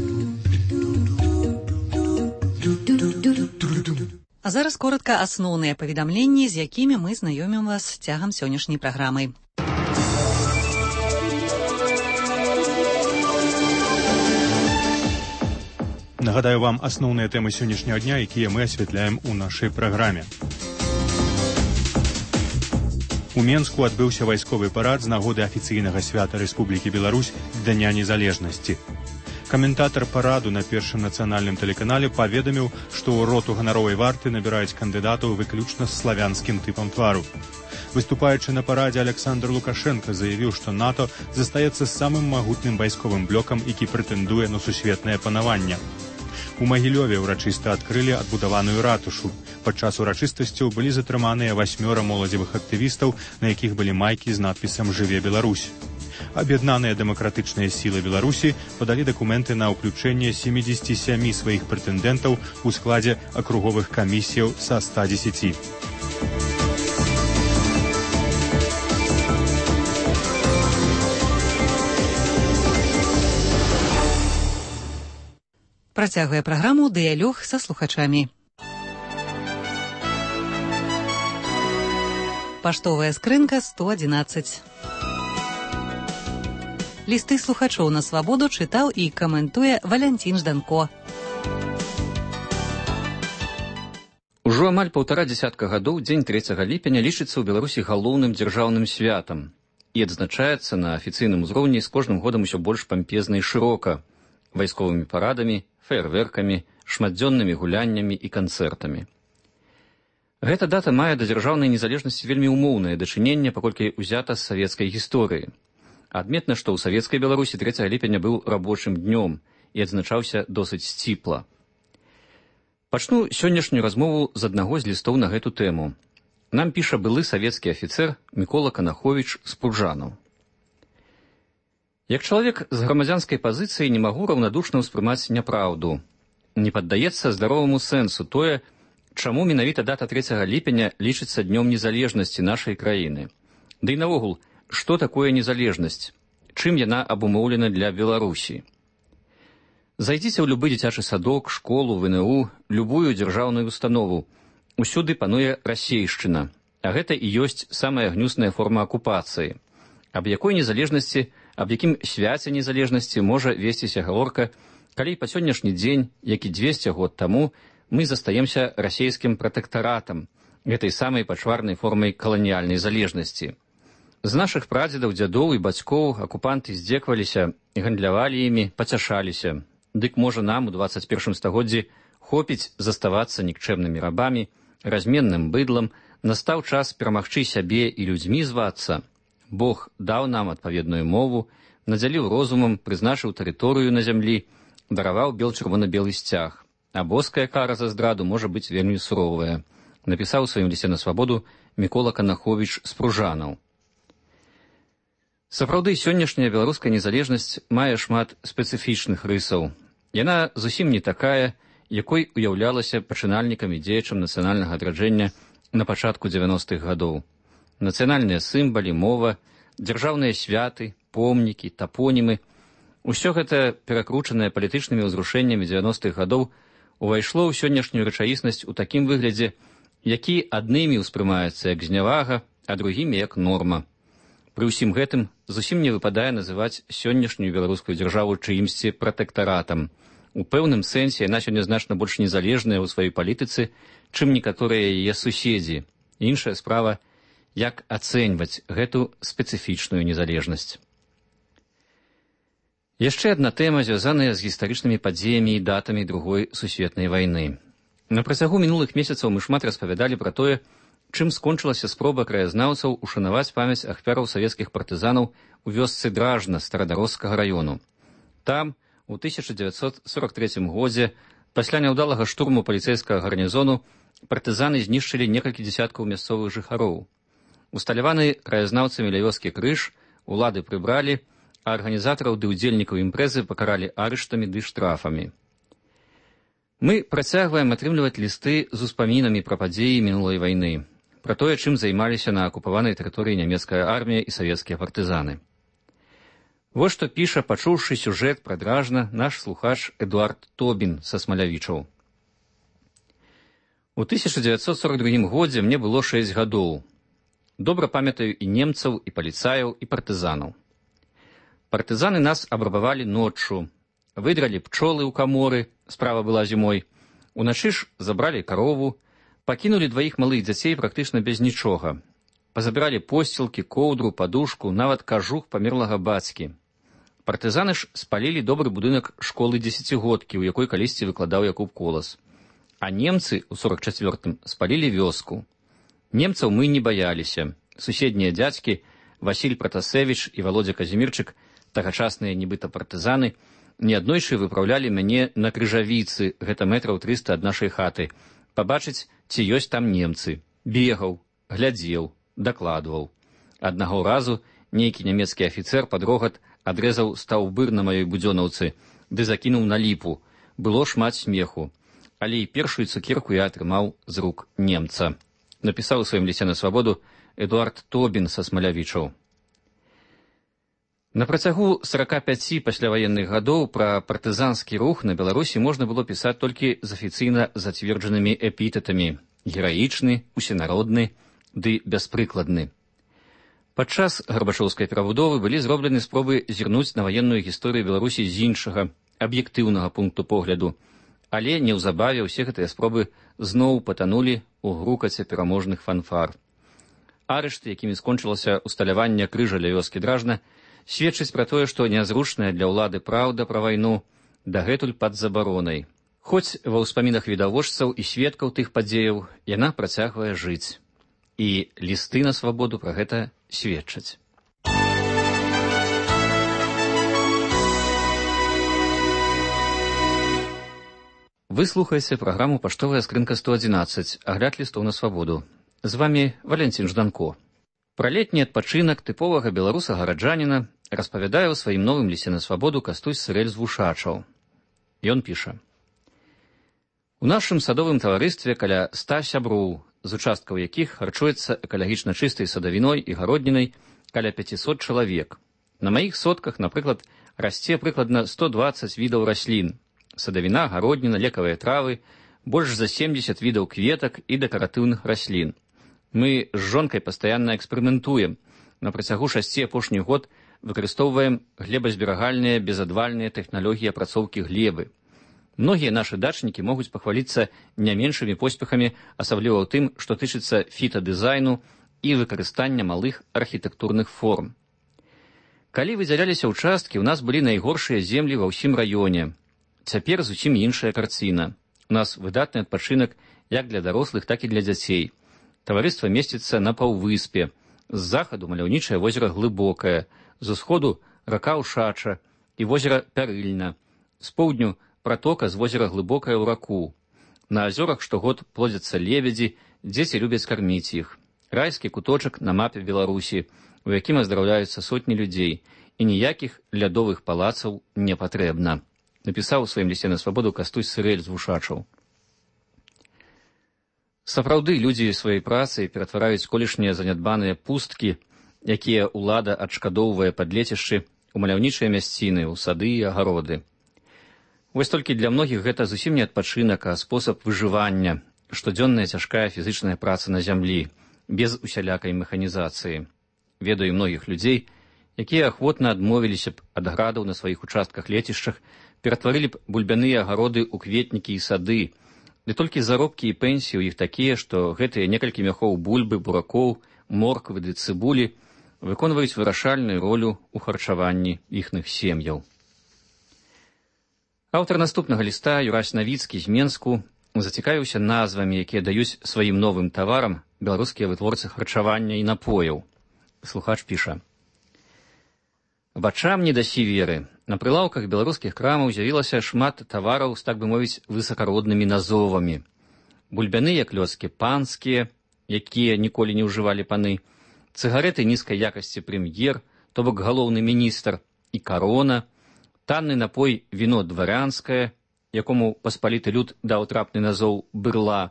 А зараз коротка асноўныя паведамленні, з якімі мы знаёмім вас цягам сённяшняй праграмы. Нагадаю вам асноўныя тэмы сённяшняга дня, якія мы асвятляем у нашай праграме. У Менску адбыўся вайсковы парад з нагоды афіцыйнага свята Рэспублікі Беларусь Дня незалежнасці. Каментатар параду на першым нацыянальным тэлеканале паведаміў, што ў роту ганаровай варты набіраюць кандыдатаў выключна з славянскім тыпам твару. Выступаючы на парадзе, Александр Лукашенко заявіў, што НАТО застаецца самым магутным вайсковым блокам, які прэтэндуе на сусветнае панаванне. У Магілёве ўрачыста адкрылі адбудаваную ратушу. Падчас урачыстасцяў былі затрыманыя 8 моладзевых актывістаў, на якіх былі майкі з надпісам «Жыве Беларусь». Аб'яднаныя дэмакратычныя сілы Беларусі падалі дакументы на ўключэнне 77 сваіх прэтэндэнтаў у складзе акруговых камісіяў са 110. Працягвае праграму «Дыялог са слухачамі». Паштовая скрынка 111. Лісты слухачоў на свабоду чытаў і каментуе Валянцін Жданко. Ужо амаль 1,5 дзесятка гадоў дзень 3 ліпеня лічыцца ў Беларусі галоўным дзяржаўным святам і адзначаецца на афіцыйным узроўні з кожным годам усё больш пампезна і шырока, вайсковымі парадамі, феерверкамі, шматдзённымі гуляннямі і канцэртамі. Гэта дата мае да дзяржаўнай незалежнасці вельмі умоўнае дачыненне, паколькі ўзята з савецкай гісторыі. Адметна, што ў савецкай Беларусі 3 ліпеня быў рабочым днём і адзначаўся досыць сціпла. Пачну сённяшнюю размову з аднаго з лістоў на гэту тэму. Нам піша былы савецкі афіцэр Мікола Канаховіч з Пружанаў. Як чалавек з грамадзянскай пазіцыі не магу раўнадушна ўспрымаць няпраўду. Не паддаецца здароваму сэнсу тое, чаму менавіта дата 3 ліпеня лічыцца днём незалежнасці нашай краіны. Ды і наогул, што такое незалежнасць? Чым яна абумоўлена для Беларусі? Зайдзіце ў любы дзіцячы садок, школу, ВНУ, любую дзяржаўную установу. Усюды пануе расейшчына, а гэта і ёсць самая гнюсная форма акупацыі. Аб якой незалежнасці, аб якім свяце незалежнасці можа весціся гаворка, калі па сённяшні дзень, як і 200 год таму, мы застаемся расейскім пратэктаратам, гэтай самай пачварнай формай каланіяльнай залежнасці. З нашых прадзедаў, дзядоў і бацькоў акупанты здзекваліся, гандлявалі імі, пацяшаліся. Дык можа нам у 21 стагоддзі хопіць заставацца нікчэмнымі рабамі, разменным быдлам, настаў час перамагчы сябе і людзьмі звацца. Бог даў нам адпаведную мову, надзяліў розумам, прызначыў тэрыторыю на зямлі, дараваў бел-чырвона-белы сцяг. А боская кара за здраду можа быць вельмі суровая, напісаў у сваім лісце на свабоду Мікола Канаховіч з Пружанаў. Сапраўды, сённяшняя беларуская незалежнасць мае шмат спецыфічных рысаў. Яна зусім не такая, якой уяўлялася пачынальнікам і дзеячам нацыянальнага адраджэння на пачатку 90-х гадоў. Нацыянальныя сімвалы, мова, дзяржаўныя святы, помнікі, тапонімы – усё гэта, перакручанае палітычнымі ўзрушэннямі 90-х гадоў, увайшло ў сённяшнюю рэчаіснасць у такім выглядзе, які аднымі ўспрымаецца як знявага, а другімі як норма. Пры ўсім гэтым зусім не выпадае называць сённяшнюю беларускую дзяржаву чыімсьці пратэктаратам. У пэўным сэнсе яна сёння значна больш незалежная ў сваёй палітыцы, чым некаторыя яе суседзі. Іншая справа, як ацэньваць гэту спецыфічную незалежнасць. Яшчэ адна тэма, звязаная з гістарычнымі падзеямі і датамі Другой сусветнай вайны. На працягу мінулых месяцаў мы шмат распавядалі пра тое, чым скончылася спроба краязнаўцаў ушанаваць памяць ахвяраў савецкіх партызанаў у вёсцы Дражна Старадарожскага раёну. Там, у 1943 годзе, пасля няўдалага штурму паліцэйскага гарнізону, партызаны знішчылі некалькі дзесяткаў мясцовых жыхароў. Усталяваны краязнаўцамі ля вёскі крыж улады прыбралі, а арганізатараў ды ўдзельнікаў імпрэзы пакаралі арыштамі ды штрафамі. Мы працягваем атрымліваць лісты з успамінамі пра падзеі мінулай вайны, пра тое, чым займаліся на акупаванай тэрыторыі нямецкая армія і савецкія партызаны. Вось што піша, пачуўшы сюжэт пра Дражна, наш слухач Эдуард Тобін са Смалявічаў. У У 1942 годзе мне было 6 гадоў. Добра памятаю і немцаў, і паліцаяў, і партызанаў. Партызаны нас абрабавалі ноччу, выдралі пчолы ў каморы, справа была зімой, уначы ж забралі карову, пакінулі 2 малых дзяцей практычна без нічога. Пазабіралі посцілкі, коўдру, падушку, нават кажух памерлага бацькі. Партызаны ж спалілі добры будынак школы 10-годкі, у якой калісьці выкладаў Якуб Колас. А немцы ў 44-м спалілі вёску. Немцаў мы не баяліся. Суседнія дзядзькі, Васіль Пратасевіч і Володя Казімірчык, тагачасныя нібыта партызаны, неаднойчы выпраўлялі мяне на крыжавіцы, гэта метраў 300 ад нашай хаты, пабачыць, ці ёсць там немцы. Бегаў, глядзеў, дакладваў. Аднаго разу нейкі нямецкі афіцэр пад рогат адрэзаў стаўбыр на маёй будзёнаўцы, ды закінуў на ліпу. Было шмат смеху. Але і першую цукерку я атрымаў з рук немца. Напісаў у сваім лісце на свабоду Эдуард Тобін са Смалявічаў. На працягу 45 пасляваенных гадоў пра партызанскі рух на Беларусі можна было пісаць толькі з афіцыйна зацверджанымі эпітэтамі: гераічны, усенародны ды бяспрыкладны. Падчас гарбачоўскай перабудовы былі зроблены спробы зірнуць на ваенную гісторыю Беларусі з іншага, аб'ектыўнага пункту погляду, але неўзабаве ўсе гэтыя спробы зноў патанулі ў грукаце пераможных фанфар. Арышты, якімі скончылася усталяванне крыжа ля вёскі Дражна, сведчыць пра тое, што нязручная для ўлады праўда пра вайну дагэтуль пад забаронай. Хоць ва ўспамінах відавочцаў і сведкаў тых падзеяў яна працягвае жыць. І лісты на свабоду пра гэта сведчаць. Вы слухаеце праграму «Паштовая скрынка 111», агляд лістоў на свабоду. З вамі Валянцін Жданко. Пра летні адпачынак тыповага беларуса-гараджаніна распавядае ў сваім новым лісце на свабоду Кастусь Сырэль з Вушачаў. Ён піша: У нашым садовым таварыстве каля 100 сяброў, з участкаў якіх харчуецца экалагічна чыстай садавіной і гароднінай каля 500 чалавек. На маіх сотках, напрыклад, расце прыкладна 120 відаў раслін: садавіна, гародніна, лекавыя травы, больш за 70 відаў кветак і дэкаратыўных раслін. Мы з жонкай пастаянна эксперыментуем. На працягу 6 апошніх год выкарыстоўваем глебазберагальныя безадвальныя тэхналогіі апрацоўкі глебы. Многія нашы дачнікі могуць пахваліцца не меншымі поспехамі, асабліва ў тым, што тычыцца фітадызайну і выкарыстання малых архітэктурных форм. Калі выдзяляліся ўчасткі, у нас былі найгоршыя землі ва ўсім раёне. Цяпер зусім іншая карціна. У нас выдатны адпачынак як для дарослых, так і для дзяцей. Таварыства месціцца на паўвыспе. З захаду маляўнічае возера Глыбокае, з усходу рака Ушача і возера Пярыльна. З поўдню пратока з возера Глыбокае ў раку. На азёрах штогод плодзяцца лебедзі, дзеці любяць карміць іх. Райскі куточак на мапе Беларусі, у якім аздараўляюцца сотні людзей, і ніякіх лядовых палацаў не патрэбна. Напісаў у сваім лісце на свабоду Кастусь Сырэль з Вушачаў. Сапраўды, людзі сваёй працай ператвараюць колішнія занядбаныя пусткі, якія ўлада адшкадоўвае пад лецішчы, у маляўнічыя мясціны, у сады і агароды. Вось толькі для многіх гэта зусім не адпачынак, а спосаб выжывання, штодзённая цяжкая фізычная праца на зямлі, без усялякай механізацыі. Ведаю многіх людзей, якія ахвотна адмовіліся б ад градаў на сваіх участках лецішчах, ператварылі б бульбяныя агароды ў кветнікі і сады. Ды толькі заробкі і пенсіі ў іх такія, што гэтыя некалькі мяхоў бульбы, буракоў, морквы ды цыбулі выконваюць вырашальную ролю ў харчаванні іхных сем'яў. Аўтар наступнага ліста, Юрась Навіцкі з Менску, зацікавіўся назвамі, якія даюць сваім новым таварам беларускія вытворцы харчавання і напояў. Слухач піша: Вачам не дасі веры. На прылаўках беларускіх крамаў з'явілася шмат тавараў з, так бы мовіць, высакароднымі назовамі. Бульбяныя клёцкі панскія, якія ніколі не ўжывалі паны, цыгареты нізкай якасці прэм'ер, то бок галоўны міністр, і карона, танны напой віно дварянскае, якому паспаліты люд даў трапны назоў бырла,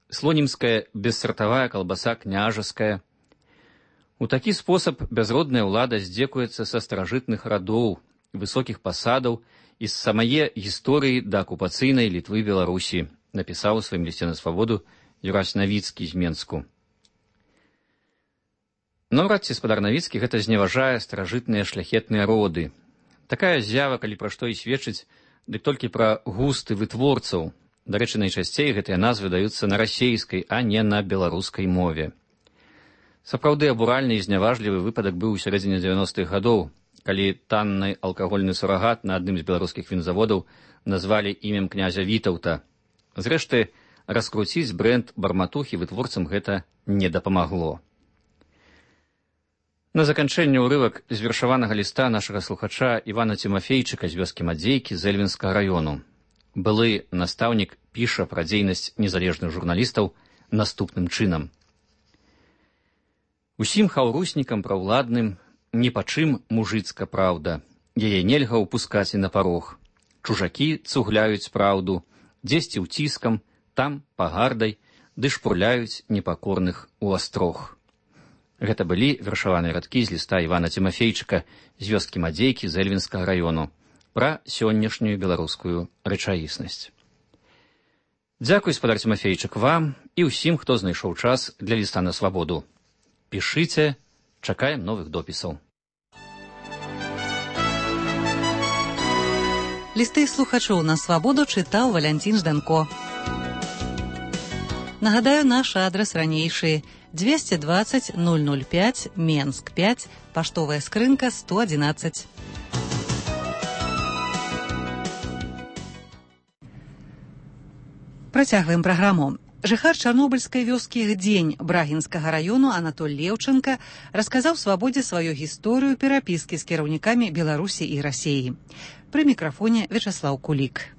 слонімская бессартавая калбаса княжаская. У такі спосаб бязродная ўлада здзекуецца са старажытных радоў, высокіх пасадаў і з самае гісторыі да акупацыйнай Літвы Беларусі, напісаў у сваім лісце на свабоду Юрась Навіцкі з Менску. Наўрад ці спадар Навіцкі гэта зневажае старажытныя шляхетныя роды. Такая з'ява, калі пра што і сведчыць, дык толькі пра густы вытворцаў. Дарэчы, найчасцей гэтыя назвы даюцца на расейскай, а не на беларускай мове. Сапраўды абуральны і зняважлівы выпадак быў у сярэдзіне 90-х гадоў, калі танны алкагольны сурагат на адным з беларускіх вінзаводаў назвалі імем князя Вітаўта. Зрэшты, раскруціць брэнд барматухі вытворцам гэта не дапамагло. На заканчэнне ўрывак з вершаванага ліста нашага слухача Івана Цімафейчыка з вёскі Мадзейкі з Эльвінскага раёну. Былы настаўнік піша пра дзейнасць незалежных журналістаў наступным чынам. Усім хаўруснікам праўладным ні па чым мужыцка праўда. Яе нельга ўпускаць і на парог. Чужакі цугляюць праўду, дзесьці ўціскам, там пагардай, ды шпурляюць непакорных у астрог. Гэта былі вершаваныя радкі з ліста Івана Цімафейчыка з вёскі Мадзейкі з Эльвінскага раёну пра сённяшнюю беларускую рэчаіснасць. Дзякуй, спадар Цімафейчык, вам і ўсім, хто знайшоў час для ліста на свабоду. Пішыце, чакаем новых допісаў. Лісты слухачоў на свабоду чытаў Валянцін Жданко. Нагадаю, наш адрас ранейшы: 220 005, Менск 5, паштовая скрынка 111. Працягваем праграму. Жыхар чарнобыльскай вёскі Гдзень Брагінскага раёну Анатоль Леўчанка расказаў свабодзе сваю гісторыю перапіскі з кіраўнікамі Беларусі і Расіі. Пры мікрафоне Вячаслаў Кулік.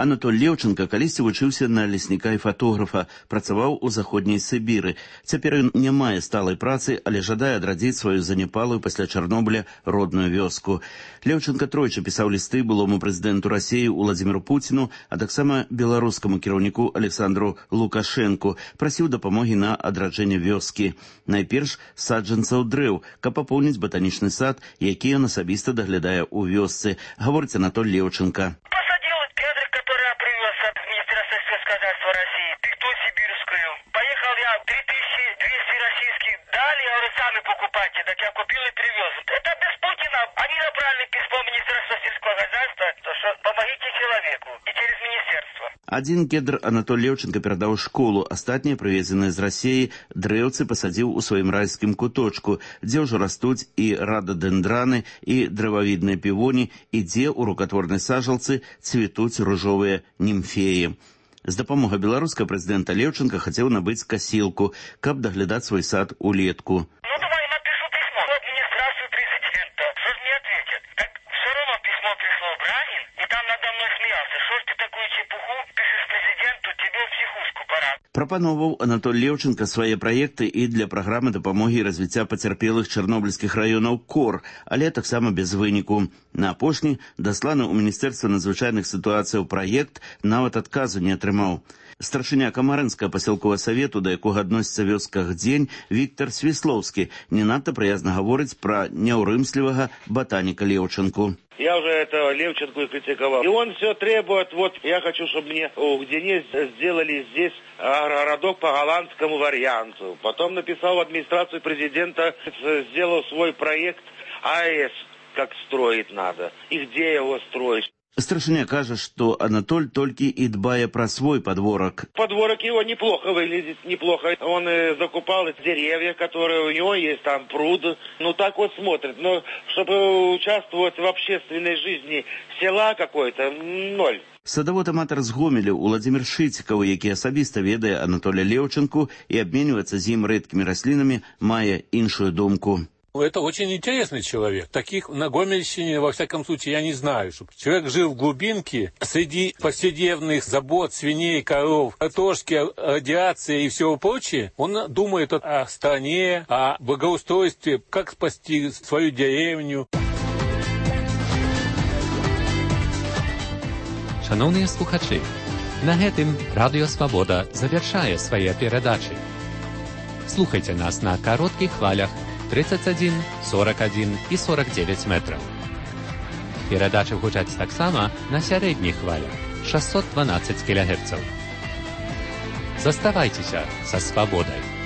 Анатоль Леўчанка калісьці вучыўся на лесніка і фатографа, працаваў у заходняй Сібіры. Цяпер ён не мае сталай працы, але жадае адрадзіць сваю заняпалую пасля Чарнобыля родную вёску. Леўчанка тройчы пісаў лісты былому прэзідэнту Расіі Уладзіміру Пуціну, а таксама беларускаму кіраўніку Александру Лукашэнку, прасіў дапамогі на адраджэнне вёскі. Найперш саджанцаў дрэў, каб папоўніць батанічны сад, які ён асабіста даглядае ў вёсцы, гаворыць Анатоль Леўчанка. Поехал я 3200 российских дали, я говорю, сами покупайте, так я купил и привез. Это без Путина. Они направили письмо Министерства сельского хозяйства, что помогите человеку и через министерство. Адзін кедр Анатоль Леўчанка перадаў школу, астатнія прывезеныя з Расіі дрэўцы пасадзіў у сваім райскім куточку, дзе ўжо растуць і рададэндраны, і дрэвавідныя півоні, і дзе ў рукатворнай сажалцы цвітуць ружовыя німфеі. З дапамогай беларускага прэзідэнта Леўчанка хацеў набыць касілку, каб даглядаць свой сад улетку. Ну, давай напишу письмо в администрацию президента. Что ж мне ответят? Так все равно письмо пришло в Брагин, и там надо мной смеялся. Что ж ты такую чепуху пишешь президенту, тебе в психушку пора. Прапановаў Анатоль Леўчанка свае праекты і для праграмы дапамогі і развіцця пацярпелых чарнобыльскіх раёнаў КОР, але таксама без выніку. На апошні дасланы ў Міністэрства надзвычайных сітуацыяў праект нават адказу не атрымаў. Старшыня Камарынскага пасялковага савету, да якога адносіцца вёска Гдзень, Віктор Свіслоўскі, не надта прыязна гаворыць пра няўрымслівага ботаніка Леўчанку. Я уже этого Левченко и критиковал. И он все требует, вот я хочу, чтобы мне в Гдене сделали здесь городок по голландскому варианту. Потом написал в администрацию президента, сделал свой проект АЭС, как строить надо и где его строить. Старшыня кажа, што Анатоль толькі і дбае пра свой подворок. Подворок его неплохо выглядит, неплохо. Он закупал деревья, которые у него есть, там пруд. Ну так вот смотрит. Но чтобы участвовать в общественной жизни села какой-то, ноль. Садавод-аматар з Гомеля Уладзімір Шыцікаў, які асабіста ведае Анатоля Леўчанку і абменьваецца з ім рэдкімі раслінамі, мае іншую думку. Это очень интересный человек. Таких на Гомельщине, во всяком случае, я не знаю. Чтобы человек жил в глубинке, среди повседневных забот, свиней, коров, картошки, радиации и всего прочего. Он думает о стране, о благоустройстве, как спасти свою деревню. Шановні слухачі, на гэтым Радыё Свабода завяршае свае перадачы. Слухайте нас на коротких хвалях 31, 41 і 49 метраў. Перадачы гучаць таксама на сярэдніх хвалях 612 кГц. Заставайтеся со свободой.